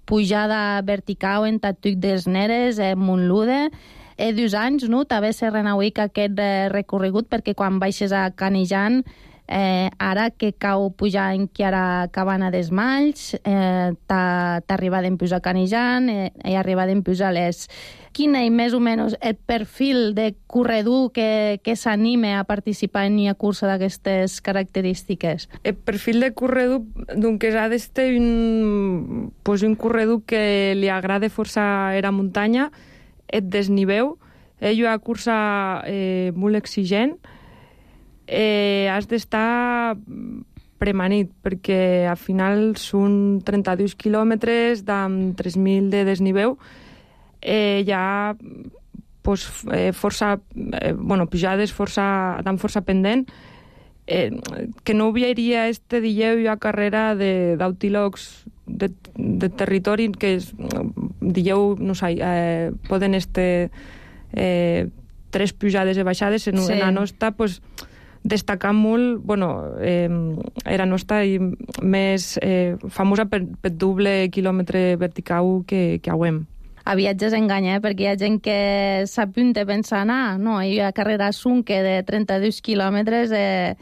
pujada vertical en Tatuc des Neres, en Montlude. Eh, dos anys, no? També se renauic aquest eh, recorregut perquè quan baixes a Canejan, eh, ara que cau pujar en Chiara Cabana des Malls, eh, t'arriba d'empús a Canejan eh, i arriba d'empús a les... Quin és més o menys el perfil de corredor que, que s'anime a participar en una cursa d'aquestes característiques? El perfil de corredor, doncs, ha d'estar un, pues, un corredor que li agrada força la muntanya, et desniveu, és una cursa eh, molt exigent, eh, has d'estar premanit, perquè al final són trenta-dos quilòmetres amb tres mil de desniveu, eh, hi ha pues, eh, força, eh, bueno, pujades força, tan força pendent, eh, que no obviaria este dijeu una carrera d'autílogs de, de territori que és, dijeu, no sé, eh, poden este eh, tres pujades i baixades en, sí. en la nostra, pues, destacar molt, bueno, eh, era nostra i més eh, famosa per, per doble quilòmetre vertical que, que hauem. A viatges enganya, eh? Perquè hi ha gent que s'apunta pensant, ah, no, hi ha carrera sunque de trenta-dos quilòmetres eh,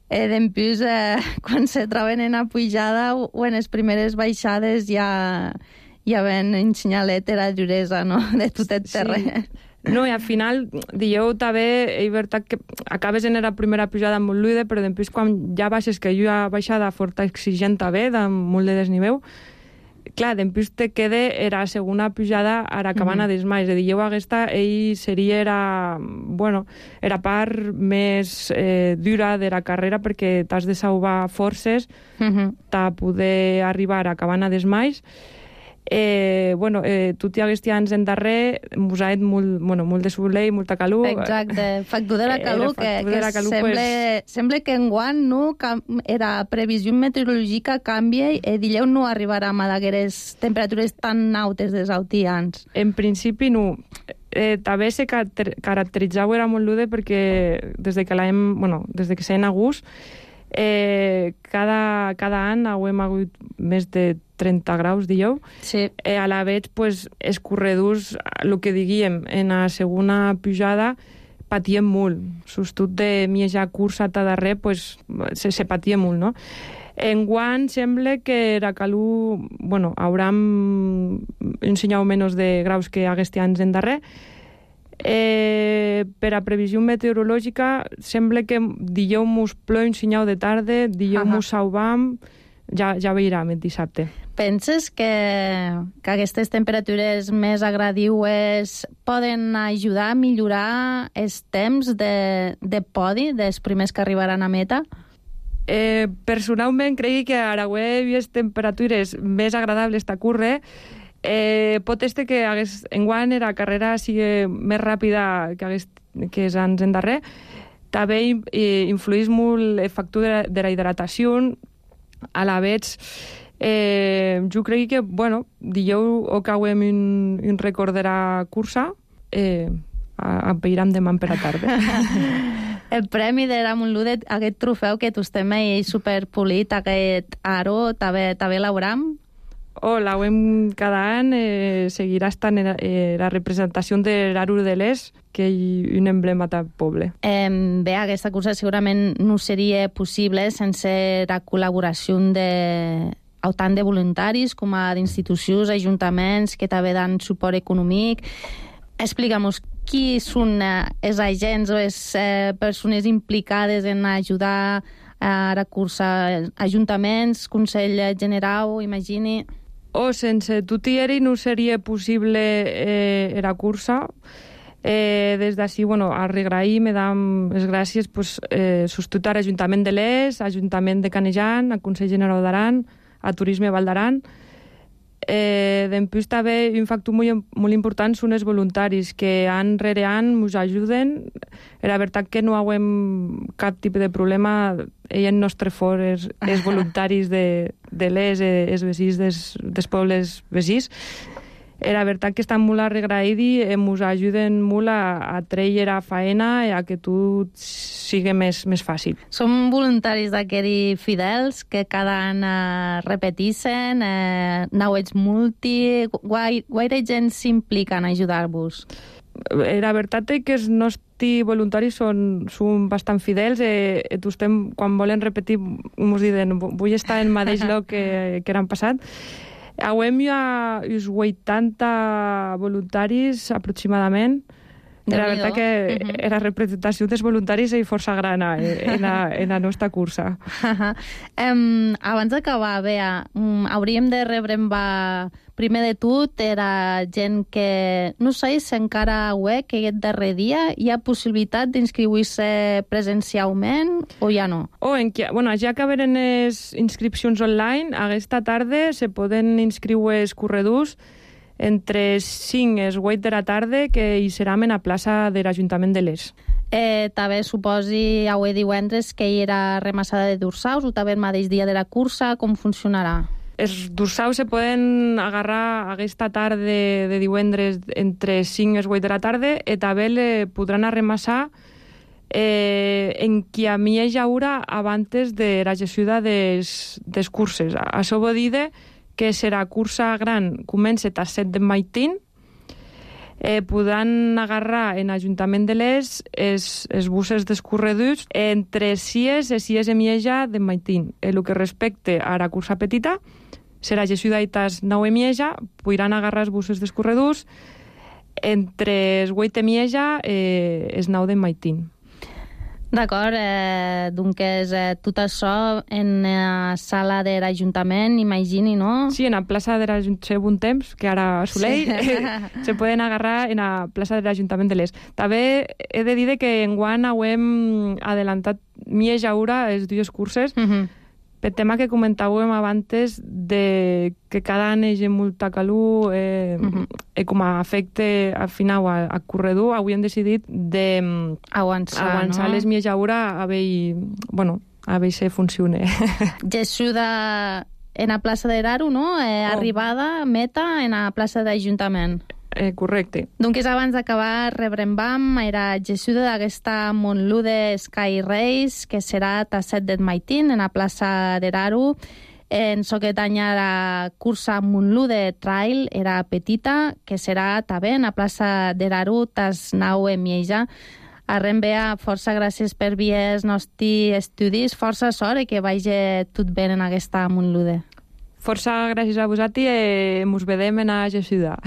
eh, d'empús eh, quan se troben en la pujada o, o en les primeres baixades ja, ja ven ensenyalet la duresa, no?, de tot el terreny. Sí. No, i al final, dieu també, és veritat que acabes en la primera pujada molt luide, però després quan ja baixes, que hi ha baixada forta exigent també, de molt de desniveu, clar, després te queda la segona pujada a la Cabana mm-hmm. des Malls. És a dir, jo aquesta, ell seria era, bueno, era part més eh, dura de la carrera perquè t'has de salvar forces mm-hmm. per poder arribar a Cabana des Malls. Eh, bueno, eh, tot i aquests anys en darrer mos ha molt, bueno, molt de soleil, molta calor. Exacte, factor de la calor, eh, que, que la calor, sembla, pues... sembla que enguany no, era previsió meteorològica canvia i dileu no arribarà a d'aquestes temperatures tan altes dels altians. En principi no. Eh, també se caracteritzava era molt lude perquè des de que l'hem, bueno, des de que s'ha en agost Eh, cada, cada any hem hagut més de trenta graus, dieu. Sí. Eh, a la vegada, pues, els corredors, el que diguíem, en la segona pujada patien molt. Sostut de mieja cursa a darrer, pues, se, se patia molt, no? Enguany sembla que la calor, bueno, hauran ensenyat menys de graus que aquests anys en darrer. Eh, per a previsió meteorològica sembla que dijous mos plou un senyal de tarda, dijous mos salvam, ja, ja veurem el dissabte. Penses que, que aquestes temperatures més agradiues poden ajudar a millorar els temps de, de podi dels primers que arribaran a meta? Eh, personalment crec que a Aragüé hi ha temperatures més agradables de córrer. Eh, pot ser que hagués, enguany la carrera sigui més ràpida que, hagués, que els anys endarrer. També eh, influeix molt el factor de, de la hidratació. A la vez, eh, jo crec que, bueno, dijous o cauem un, un record de la cursa, eh, apeiram demà per a tarda. El premi de la Montlude, aquest trofeu que tu estem ahí superpolit, aquest aro, també, també l'hauram? Oh, l'hauem cada any, eh, seguirà estant en, eh, la representació de l'Aro de l'Est, que és un emblema del poble. Eh, bé, aquesta cursa segurament no seria possible sense la col·laboració de tant de voluntaris com a d'institucions, ajuntaments que també dan suport econòmic. Explica'm-nos qui són eh, els agents o les eh, persones implicades en ajudar a la cursa, ajuntaments, Consell General, imagini... O sense tutieri no seria possible eh, la cursa. Eh, des d'ací, bueno, a regrair, me dam les gràcies, pues, eh, substitut a l'Ajuntament de l'Es, Ajuntament de Canejan, al Consell General d'Aran, a Turisme Val d'Aran. Eh, Després també un factor molt, molt important són els voluntaris que any rere any ens ajuden. La veritat que no hauem cap tipus de problema. Ell en nostre for és, és voluntaris de, de l'Es, els vecins des, dels pobles vecins. La veritat que estan molt agraïts i ens ajuden molt a, a treure la faena i a que tot sigui més, més fàcil. Som voluntaris d'aquests fidels que cada any eh, repeteixen, eh, nauets multi... Guai, guaire gent s'implica en ajudar-vos? La veritat és que els nostres voluntaris són, són bastant fidels. Eh, estem, quan volen repetir, ens diuen vull estar en el mateix lloc que, que l'any passat. Hauem ja uns vuitanta voluntaris aproximadament. La veritat que uh-huh. la representació dels voluntaris és força gran en la, en la nostra cursa. Uh-huh. Um, abans d'acabar, Bea, um, hauríem de rebre primer de tot era gent que no sé si encara ho és, que aquest darrer dia hi ha possibilitat d'inscriure-se presencialment o ja no? O en que, bueno, ja que venen les inscripcions online, aquesta tarda se poden inscriure els corredors entre cinc i vuit de la tarda, que hi serà en la plaça de l'Ajuntament de l'Es. Eh, també suposi avui divendres que hi era remassada de dorsaus o també el mateix dia de la cursa, com funcionarà? Els dorsaus se poden agarrar aquesta tarda de, de divendres entre cinc i vuit de la tarda i també le podran arremassar eh, en qui a mi hi haurà abans de la gestió dels, dels curses. Això vol dir que serà cursa gran, comença a set del matí, eh, podran agarrar en l'Ajuntament de l'Es els, els buses dels corredors entre sis i sis i mitja del matí. El que respecte a la cursa petita, serà gestió d'aitas nou i mitja, podran agarrar els buses dels corredors entre els vuit i mitja i els nou del matí. D'acord, eh, doncs eh, tot això en la sala de l'Ajuntament, imagini, no? Sí, en la plaça de l'Ajuntament un temps, que ara Soleil, sí. eh, se poden agarrar en la plaça de l'Ajuntament de l'Es. També he de dir que enguany hem adelantat mitja hora els dues curses, uh-huh. per tema que comentàvem abans de que cada any hi ha molta calor eh, uh-huh. i com a efecte al final al corredor, avui hem decidit de avançar, avançar no? les mitja hora a veure, bueno, a veure si funciona. Gessuda en la plaça de l'Aro, no? Eh, oh. Arribada, meta, en la plaça de l'Ajuntament. Eh, correcte. Doncs abans d'acabar, rebrem era gessuda d'aquesta Montlude Sky Race, que serà a set del matí en la plaça de l'Aro. En aquest any la cursa Montlude Trail era petita, que serà també en la plaça de l'Aro, tas nou i mitja. Arrem, Bea, força gràcies per vir els nostres estudis, força sort i que vagi tot bé en aquesta Montlude. Força gràcies a vosaltres i ens vedem en la gessuda.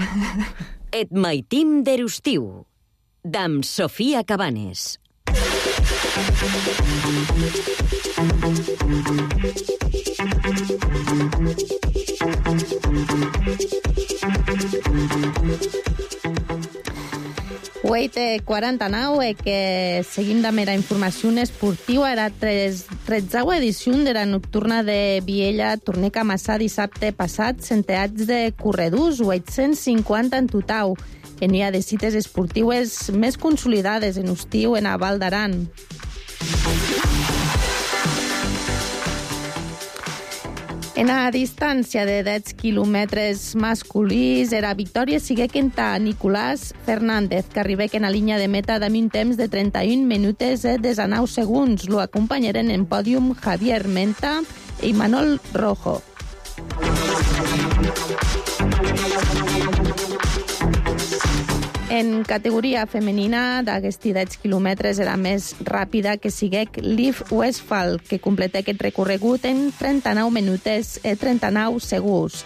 Et maitim d'Erustiu, d'am Sofia Cabanes. Thank you. Weight quaranta-nou, e que seguim de mera informació esportiva, era tretzeua edició de la nocturna de Viella, tornec a amassar dissabte passat centenats de corredors, vuit-cents cinquanta en total. N'hi ha de cites esportives més consolidades en estiu en a Val d'Aran. En a distància de deu quilòmetres masculins, era victòria siguec enta Nicolás Fernández, que arribec en la línia de meta amb un temps de trenta-un minuts i dinou segons. Lo acompanyaren en pòdium Javier Menta i Manol Rojo. En categoria femenina, d'aquests deu quilòmetres era més ràpida que siguec Liv Westphal, que completà aquest recorregut en trenta-nou minuts i trenta-nou segons.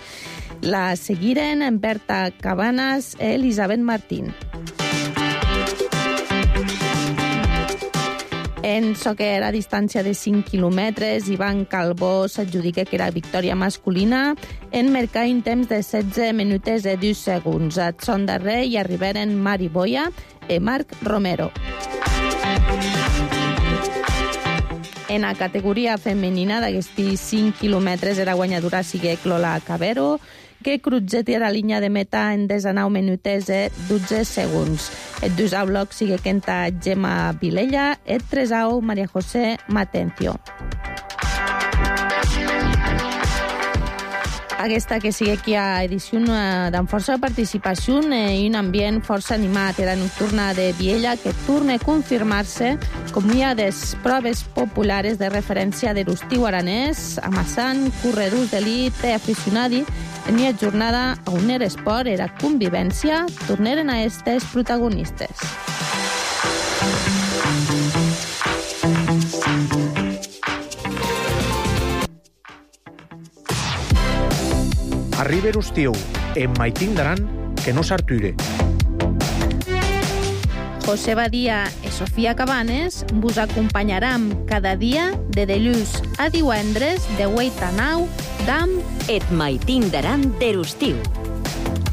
La seguiren en Berta Cabanas i Elisabet Martín. En so que era a distància de cinc quilòmetres, Ivan Calbó s'adjudica que era victòria masculina en marcar un temps de setze minuts i dos segons. A son darrer hi arribaren Mari Boya i Marc Romero. En la categoria femenina d'aquests cinc quilòmetres era guanyadora siguec Lola Cabero, que cruzeti a la línia de meta en dinou minuts i dotze segons. El dosau bloc sigue enta Gemma Vilella, el tresau Maria José Matencio. Aquesta que sigue aquí a edició amb força participació i un ambient força animat. Era nocturna de Viella, que torna a confirmar-se com hi ha des proves populars de referència de l'estiu aranès, amassant corredors d'elit i aficionadi. En la jornada on era esport, era convivència, tornaren a estes protagonistes. Arriba l'estiu, en Maitín d'Aran, que no s'arture. José Badia i Sofia Cabanes vos acompanyaram cada dia de dilluns a divendres de vuit a nou d'am Et Maitín d'Aran der estiu.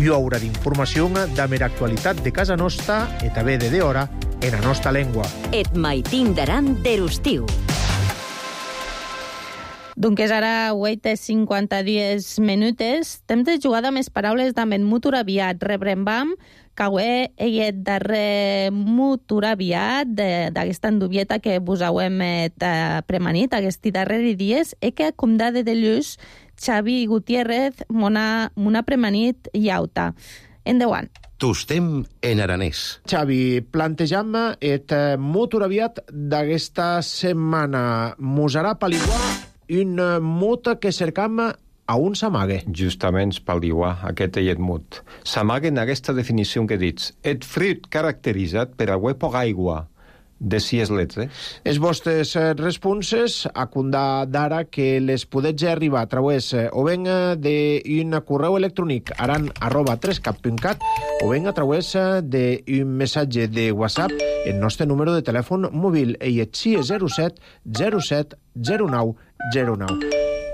Hi haurà d'informació de mera actualitat de casa nostra i també de d'hora en la nostra llengua. Et Maitín d'Aran der estiu. Doncs és ara vuit i cinquanta-dies minuts. Temps de jugar amb les paraules d'am en mutur aviat. Rebrembam que he darrer mutur aviat d'aquesta endubieta que vos hauem premanit aquests darrers dies e que acomda de dilluns Xavi Gutiérrez m'ha premanit iauta. Endavant. Tostem en aranès. Xavi, plantejam et mutur aviat d'aquesta setmana. Mos harà paliguar un mot que cercam a un s'amague. Justament paliguar aquest eit mot. S'amague en aquesta definició que dits. Et fruit caracteritzat per a poc aigua de sis lletres. Els vostres responses a condar d'ara que les podets arribar a través o ben d'un correu electrònic aran arroba trescap punt cat o ben a través d'un missatge de WhatsApp el nostre número de telèfon mòbil i et sis zero set zero set zero nou zero nou.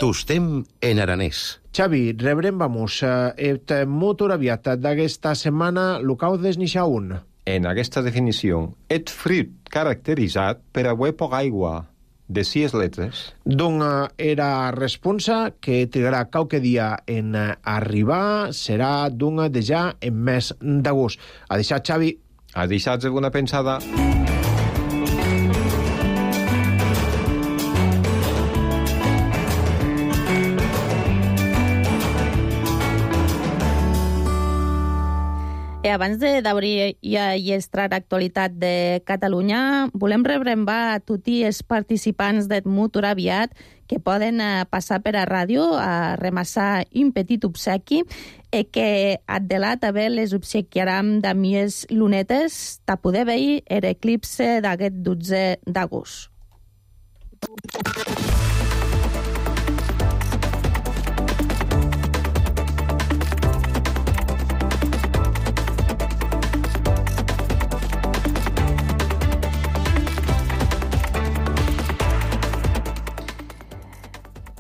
Tostem en aranès. Xavi, rebrem vamos et motor aviat d'aquesta setmana l'ocau desnixar un. En aquesta definició, et fruit caracteritzat per a poc aigua de sis lletres. Doncs era responsa que trigarà qualque dia en arribar, serà d'un de ja en mes d'agost. A deixar, Xavi. A deixar alguna pensada. I abans d'obrir i estrar l'actualitat de Catalunya, volem rebrembar a tots els participants del Mutur aviat que poden passar per a ràdio a remassar un petit obsequi i que adelat a bé les obsequiaram de mies lunetes ta poder veure l'eclipse d'aquest dotze d'agost.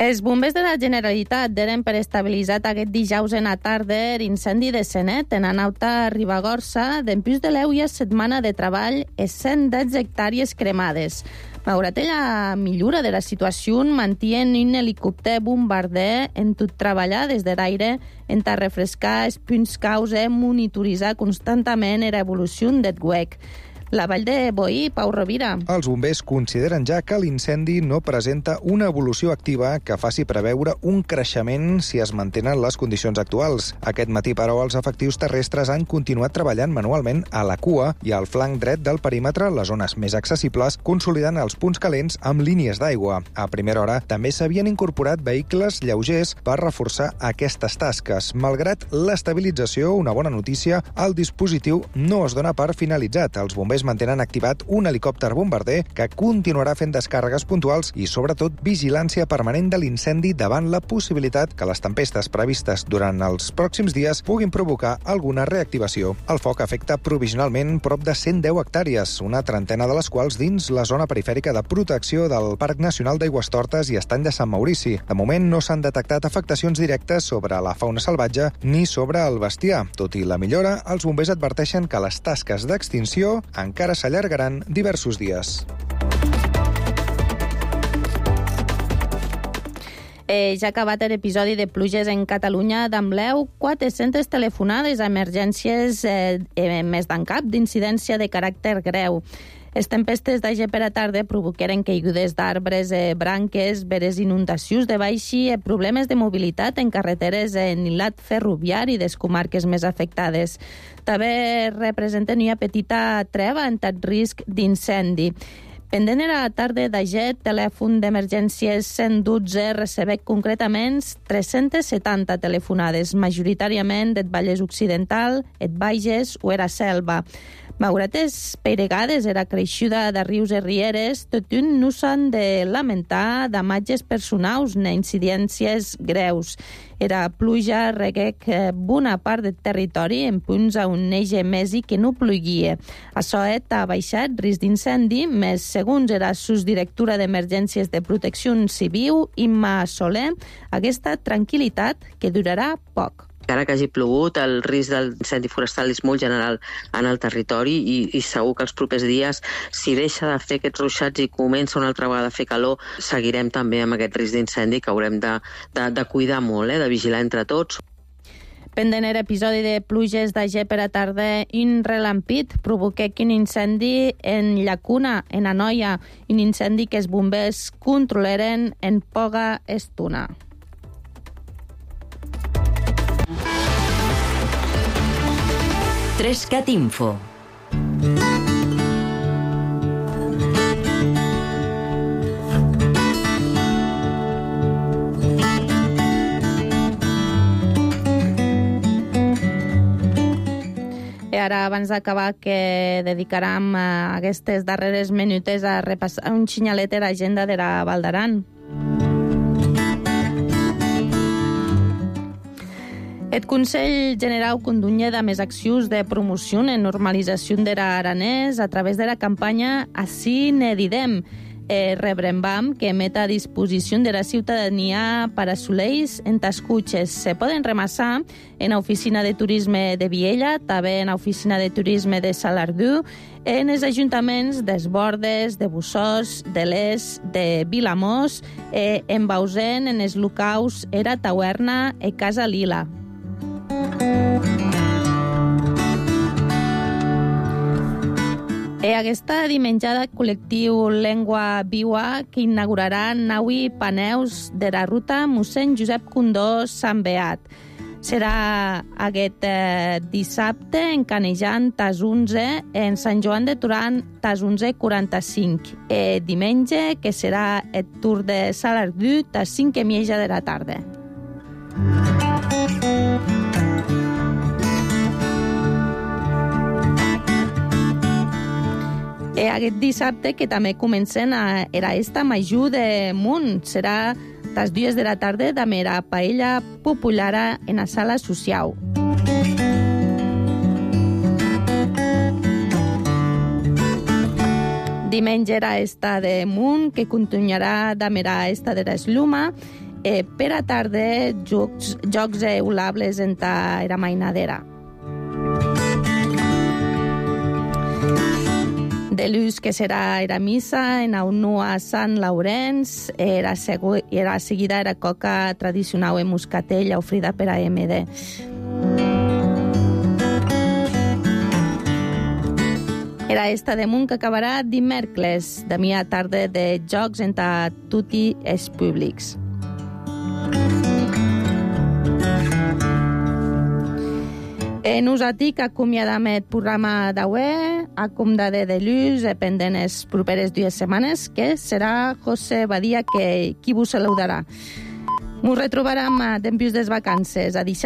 Els bombers de la Generalitat deren per estabilitzat aquest dijous en la tarda incendi de Senet en Anauta Ribagorça, d'empús de l'eu i a setmana de treball e cent deu hectàrees cremades. Malgrat la millora de la situació, mantien un helicòpter bombarder en tot treballar des de l'aire en ta refrescar els punts causa, monitoritzar constantment l'evolució d'aquest huec. La Vall de Boí, Pau Rovira. Els bombers consideren ja que l'incendi no presenta una evolució activa que faci preveure un creixement si es mantenen les condicions actuals. Aquest matí, però, els efectius terrestres han continuat treballant manualment a la cua i al flanc dret del perímetre, les zones més accessibles, consolidant els punts calents amb línies d'aigua. A primera hora també s'havien incorporat vehicles lleugers per reforçar aquestes tasques. Malgrat l'estabilització, una bona notícia, el dispositiu no es dona per finalitzat. Els bombers mantenen activat un helicòpter bombarder que continuarà fent descàrregues puntuals i, sobretot, vigilància permanent de l'incendi davant la possibilitat que les tempestes previstes durant els pròxims dies puguin provocar alguna reactivació. El foc afecta provisionalment prop de cent deu hectàrees, una trentena de les quals dins la zona perifèrica de protecció del Parc Nacional d'Aigüestortes i Estany de Sant Maurici. De moment no s'han detectat afectacions directes sobre la fauna salvatge ni sobre el bestiar. Tot i la millora, els bombers adverteixen que les tasques d'extinció encara s'allargaran diversos dies. Eh, ja ha acabat l'episodi de pluges en Catalunya d'Ambleu, quatre-centes telefonades a emergències eh, eh, més d'en cap d'incidència de caràcter greu. Les tempestes d'ahir per a tarda provoqueren caigudes d'arbres, eh, branques, veres inundacions de baixi i problemes de mobilitat en carreteres en l'hilat ferroviari des comarques més afectades. També representen una petita treva en tot risc d'incendi. Pendent era la tarda d'ahir, telèfon d'emergències cent dotze recebé concretament tres-centes setanta telefonades, majoritàriament del Vallès Occidental, el Bages o era Selva. Malgrat les peiregades era creixuda de rius i rieres, tot un no s'han de lamentar damatges personals ni incidències greus. Era pluja reguec bona part del territori en punts on neix mesi que no pluguia. Això ha baixat risc d'incendi, més segons era subdirectora d'Emergències de Protecció Civil, Imma Soler, aquesta tranquil·litat que durarà poc. Encara que hagi plogut, el risc d'incendi forestal és molt general en el territori i, i segur que els propers dies, si deixa de fer aquests ruixats i comença una altra vegada a fer calor, seguirem també amb aquest risc d'incendi que haurem de, de, de cuidar molt, eh, de vigilar entre tots. Pendent l'episodi de pluges d'ahir per a tarda, un relampit provoqué un incendi en Llacuna, en Anoia, un incendi que els bombers controlaren en poca estona. Trescat Info. I ara, abans d'acabar, que dedicarem a aquestes darreres minutes a repassar un xinyalet de l'agenda de la Val d'Aran. El Consell Generau condunya de més accions de promoció en normalització de l'aranès a través de la campanya Ací ne didem, eh, rebrembam que met a disposició de la ciutadania per a soleis en tascutxes. Se poden remassar en l'oficina de turisme de Viella, també en l'oficina de turisme de Salardú, en els ajuntaments d'Esbordes, de Bussós, de l'Es, de Vilamós, eh, en Bausen, en els locals Era Tauerna i Casa Lila. E aquesta dimenjada col·lectiu Llengua Viua que inaugurarà Naui Paneus de la ruta mossèn Josep Condó Sant Beat. Serà aquest eh, dissabte en Canejan tas onze, en Sant Joan de Torà tas onze quaranta-cinc. E diumenge que serà el Tour de Salardú tas cinc i mitja de la tarda. E aquest dissabte, que també comencen a era esta Major de Munt, serà tas dues de la tarda de la paella popular en la sala social. Diumenge era esta de Munt, que continuarà de la esta de l'Esluma, eh, per a tarda jocs, jocs eulables en ta era mainadera. De luz que serà era missa en aunu a Sant Laurenç, era, segu, era seguida era coca tradicional en Muscatell, ofrida per a M D. Era esta damunt que acabarà dimèrcles, de mi a tarda de jocs entre tutti els públics. E nosaltres acomiadam el programa d'avui, acomiadar de luz, pendent les properes dues setmanes, que serà José Badia que qui vos saludarà. Ens retrobarem dempués des vacances. A deixar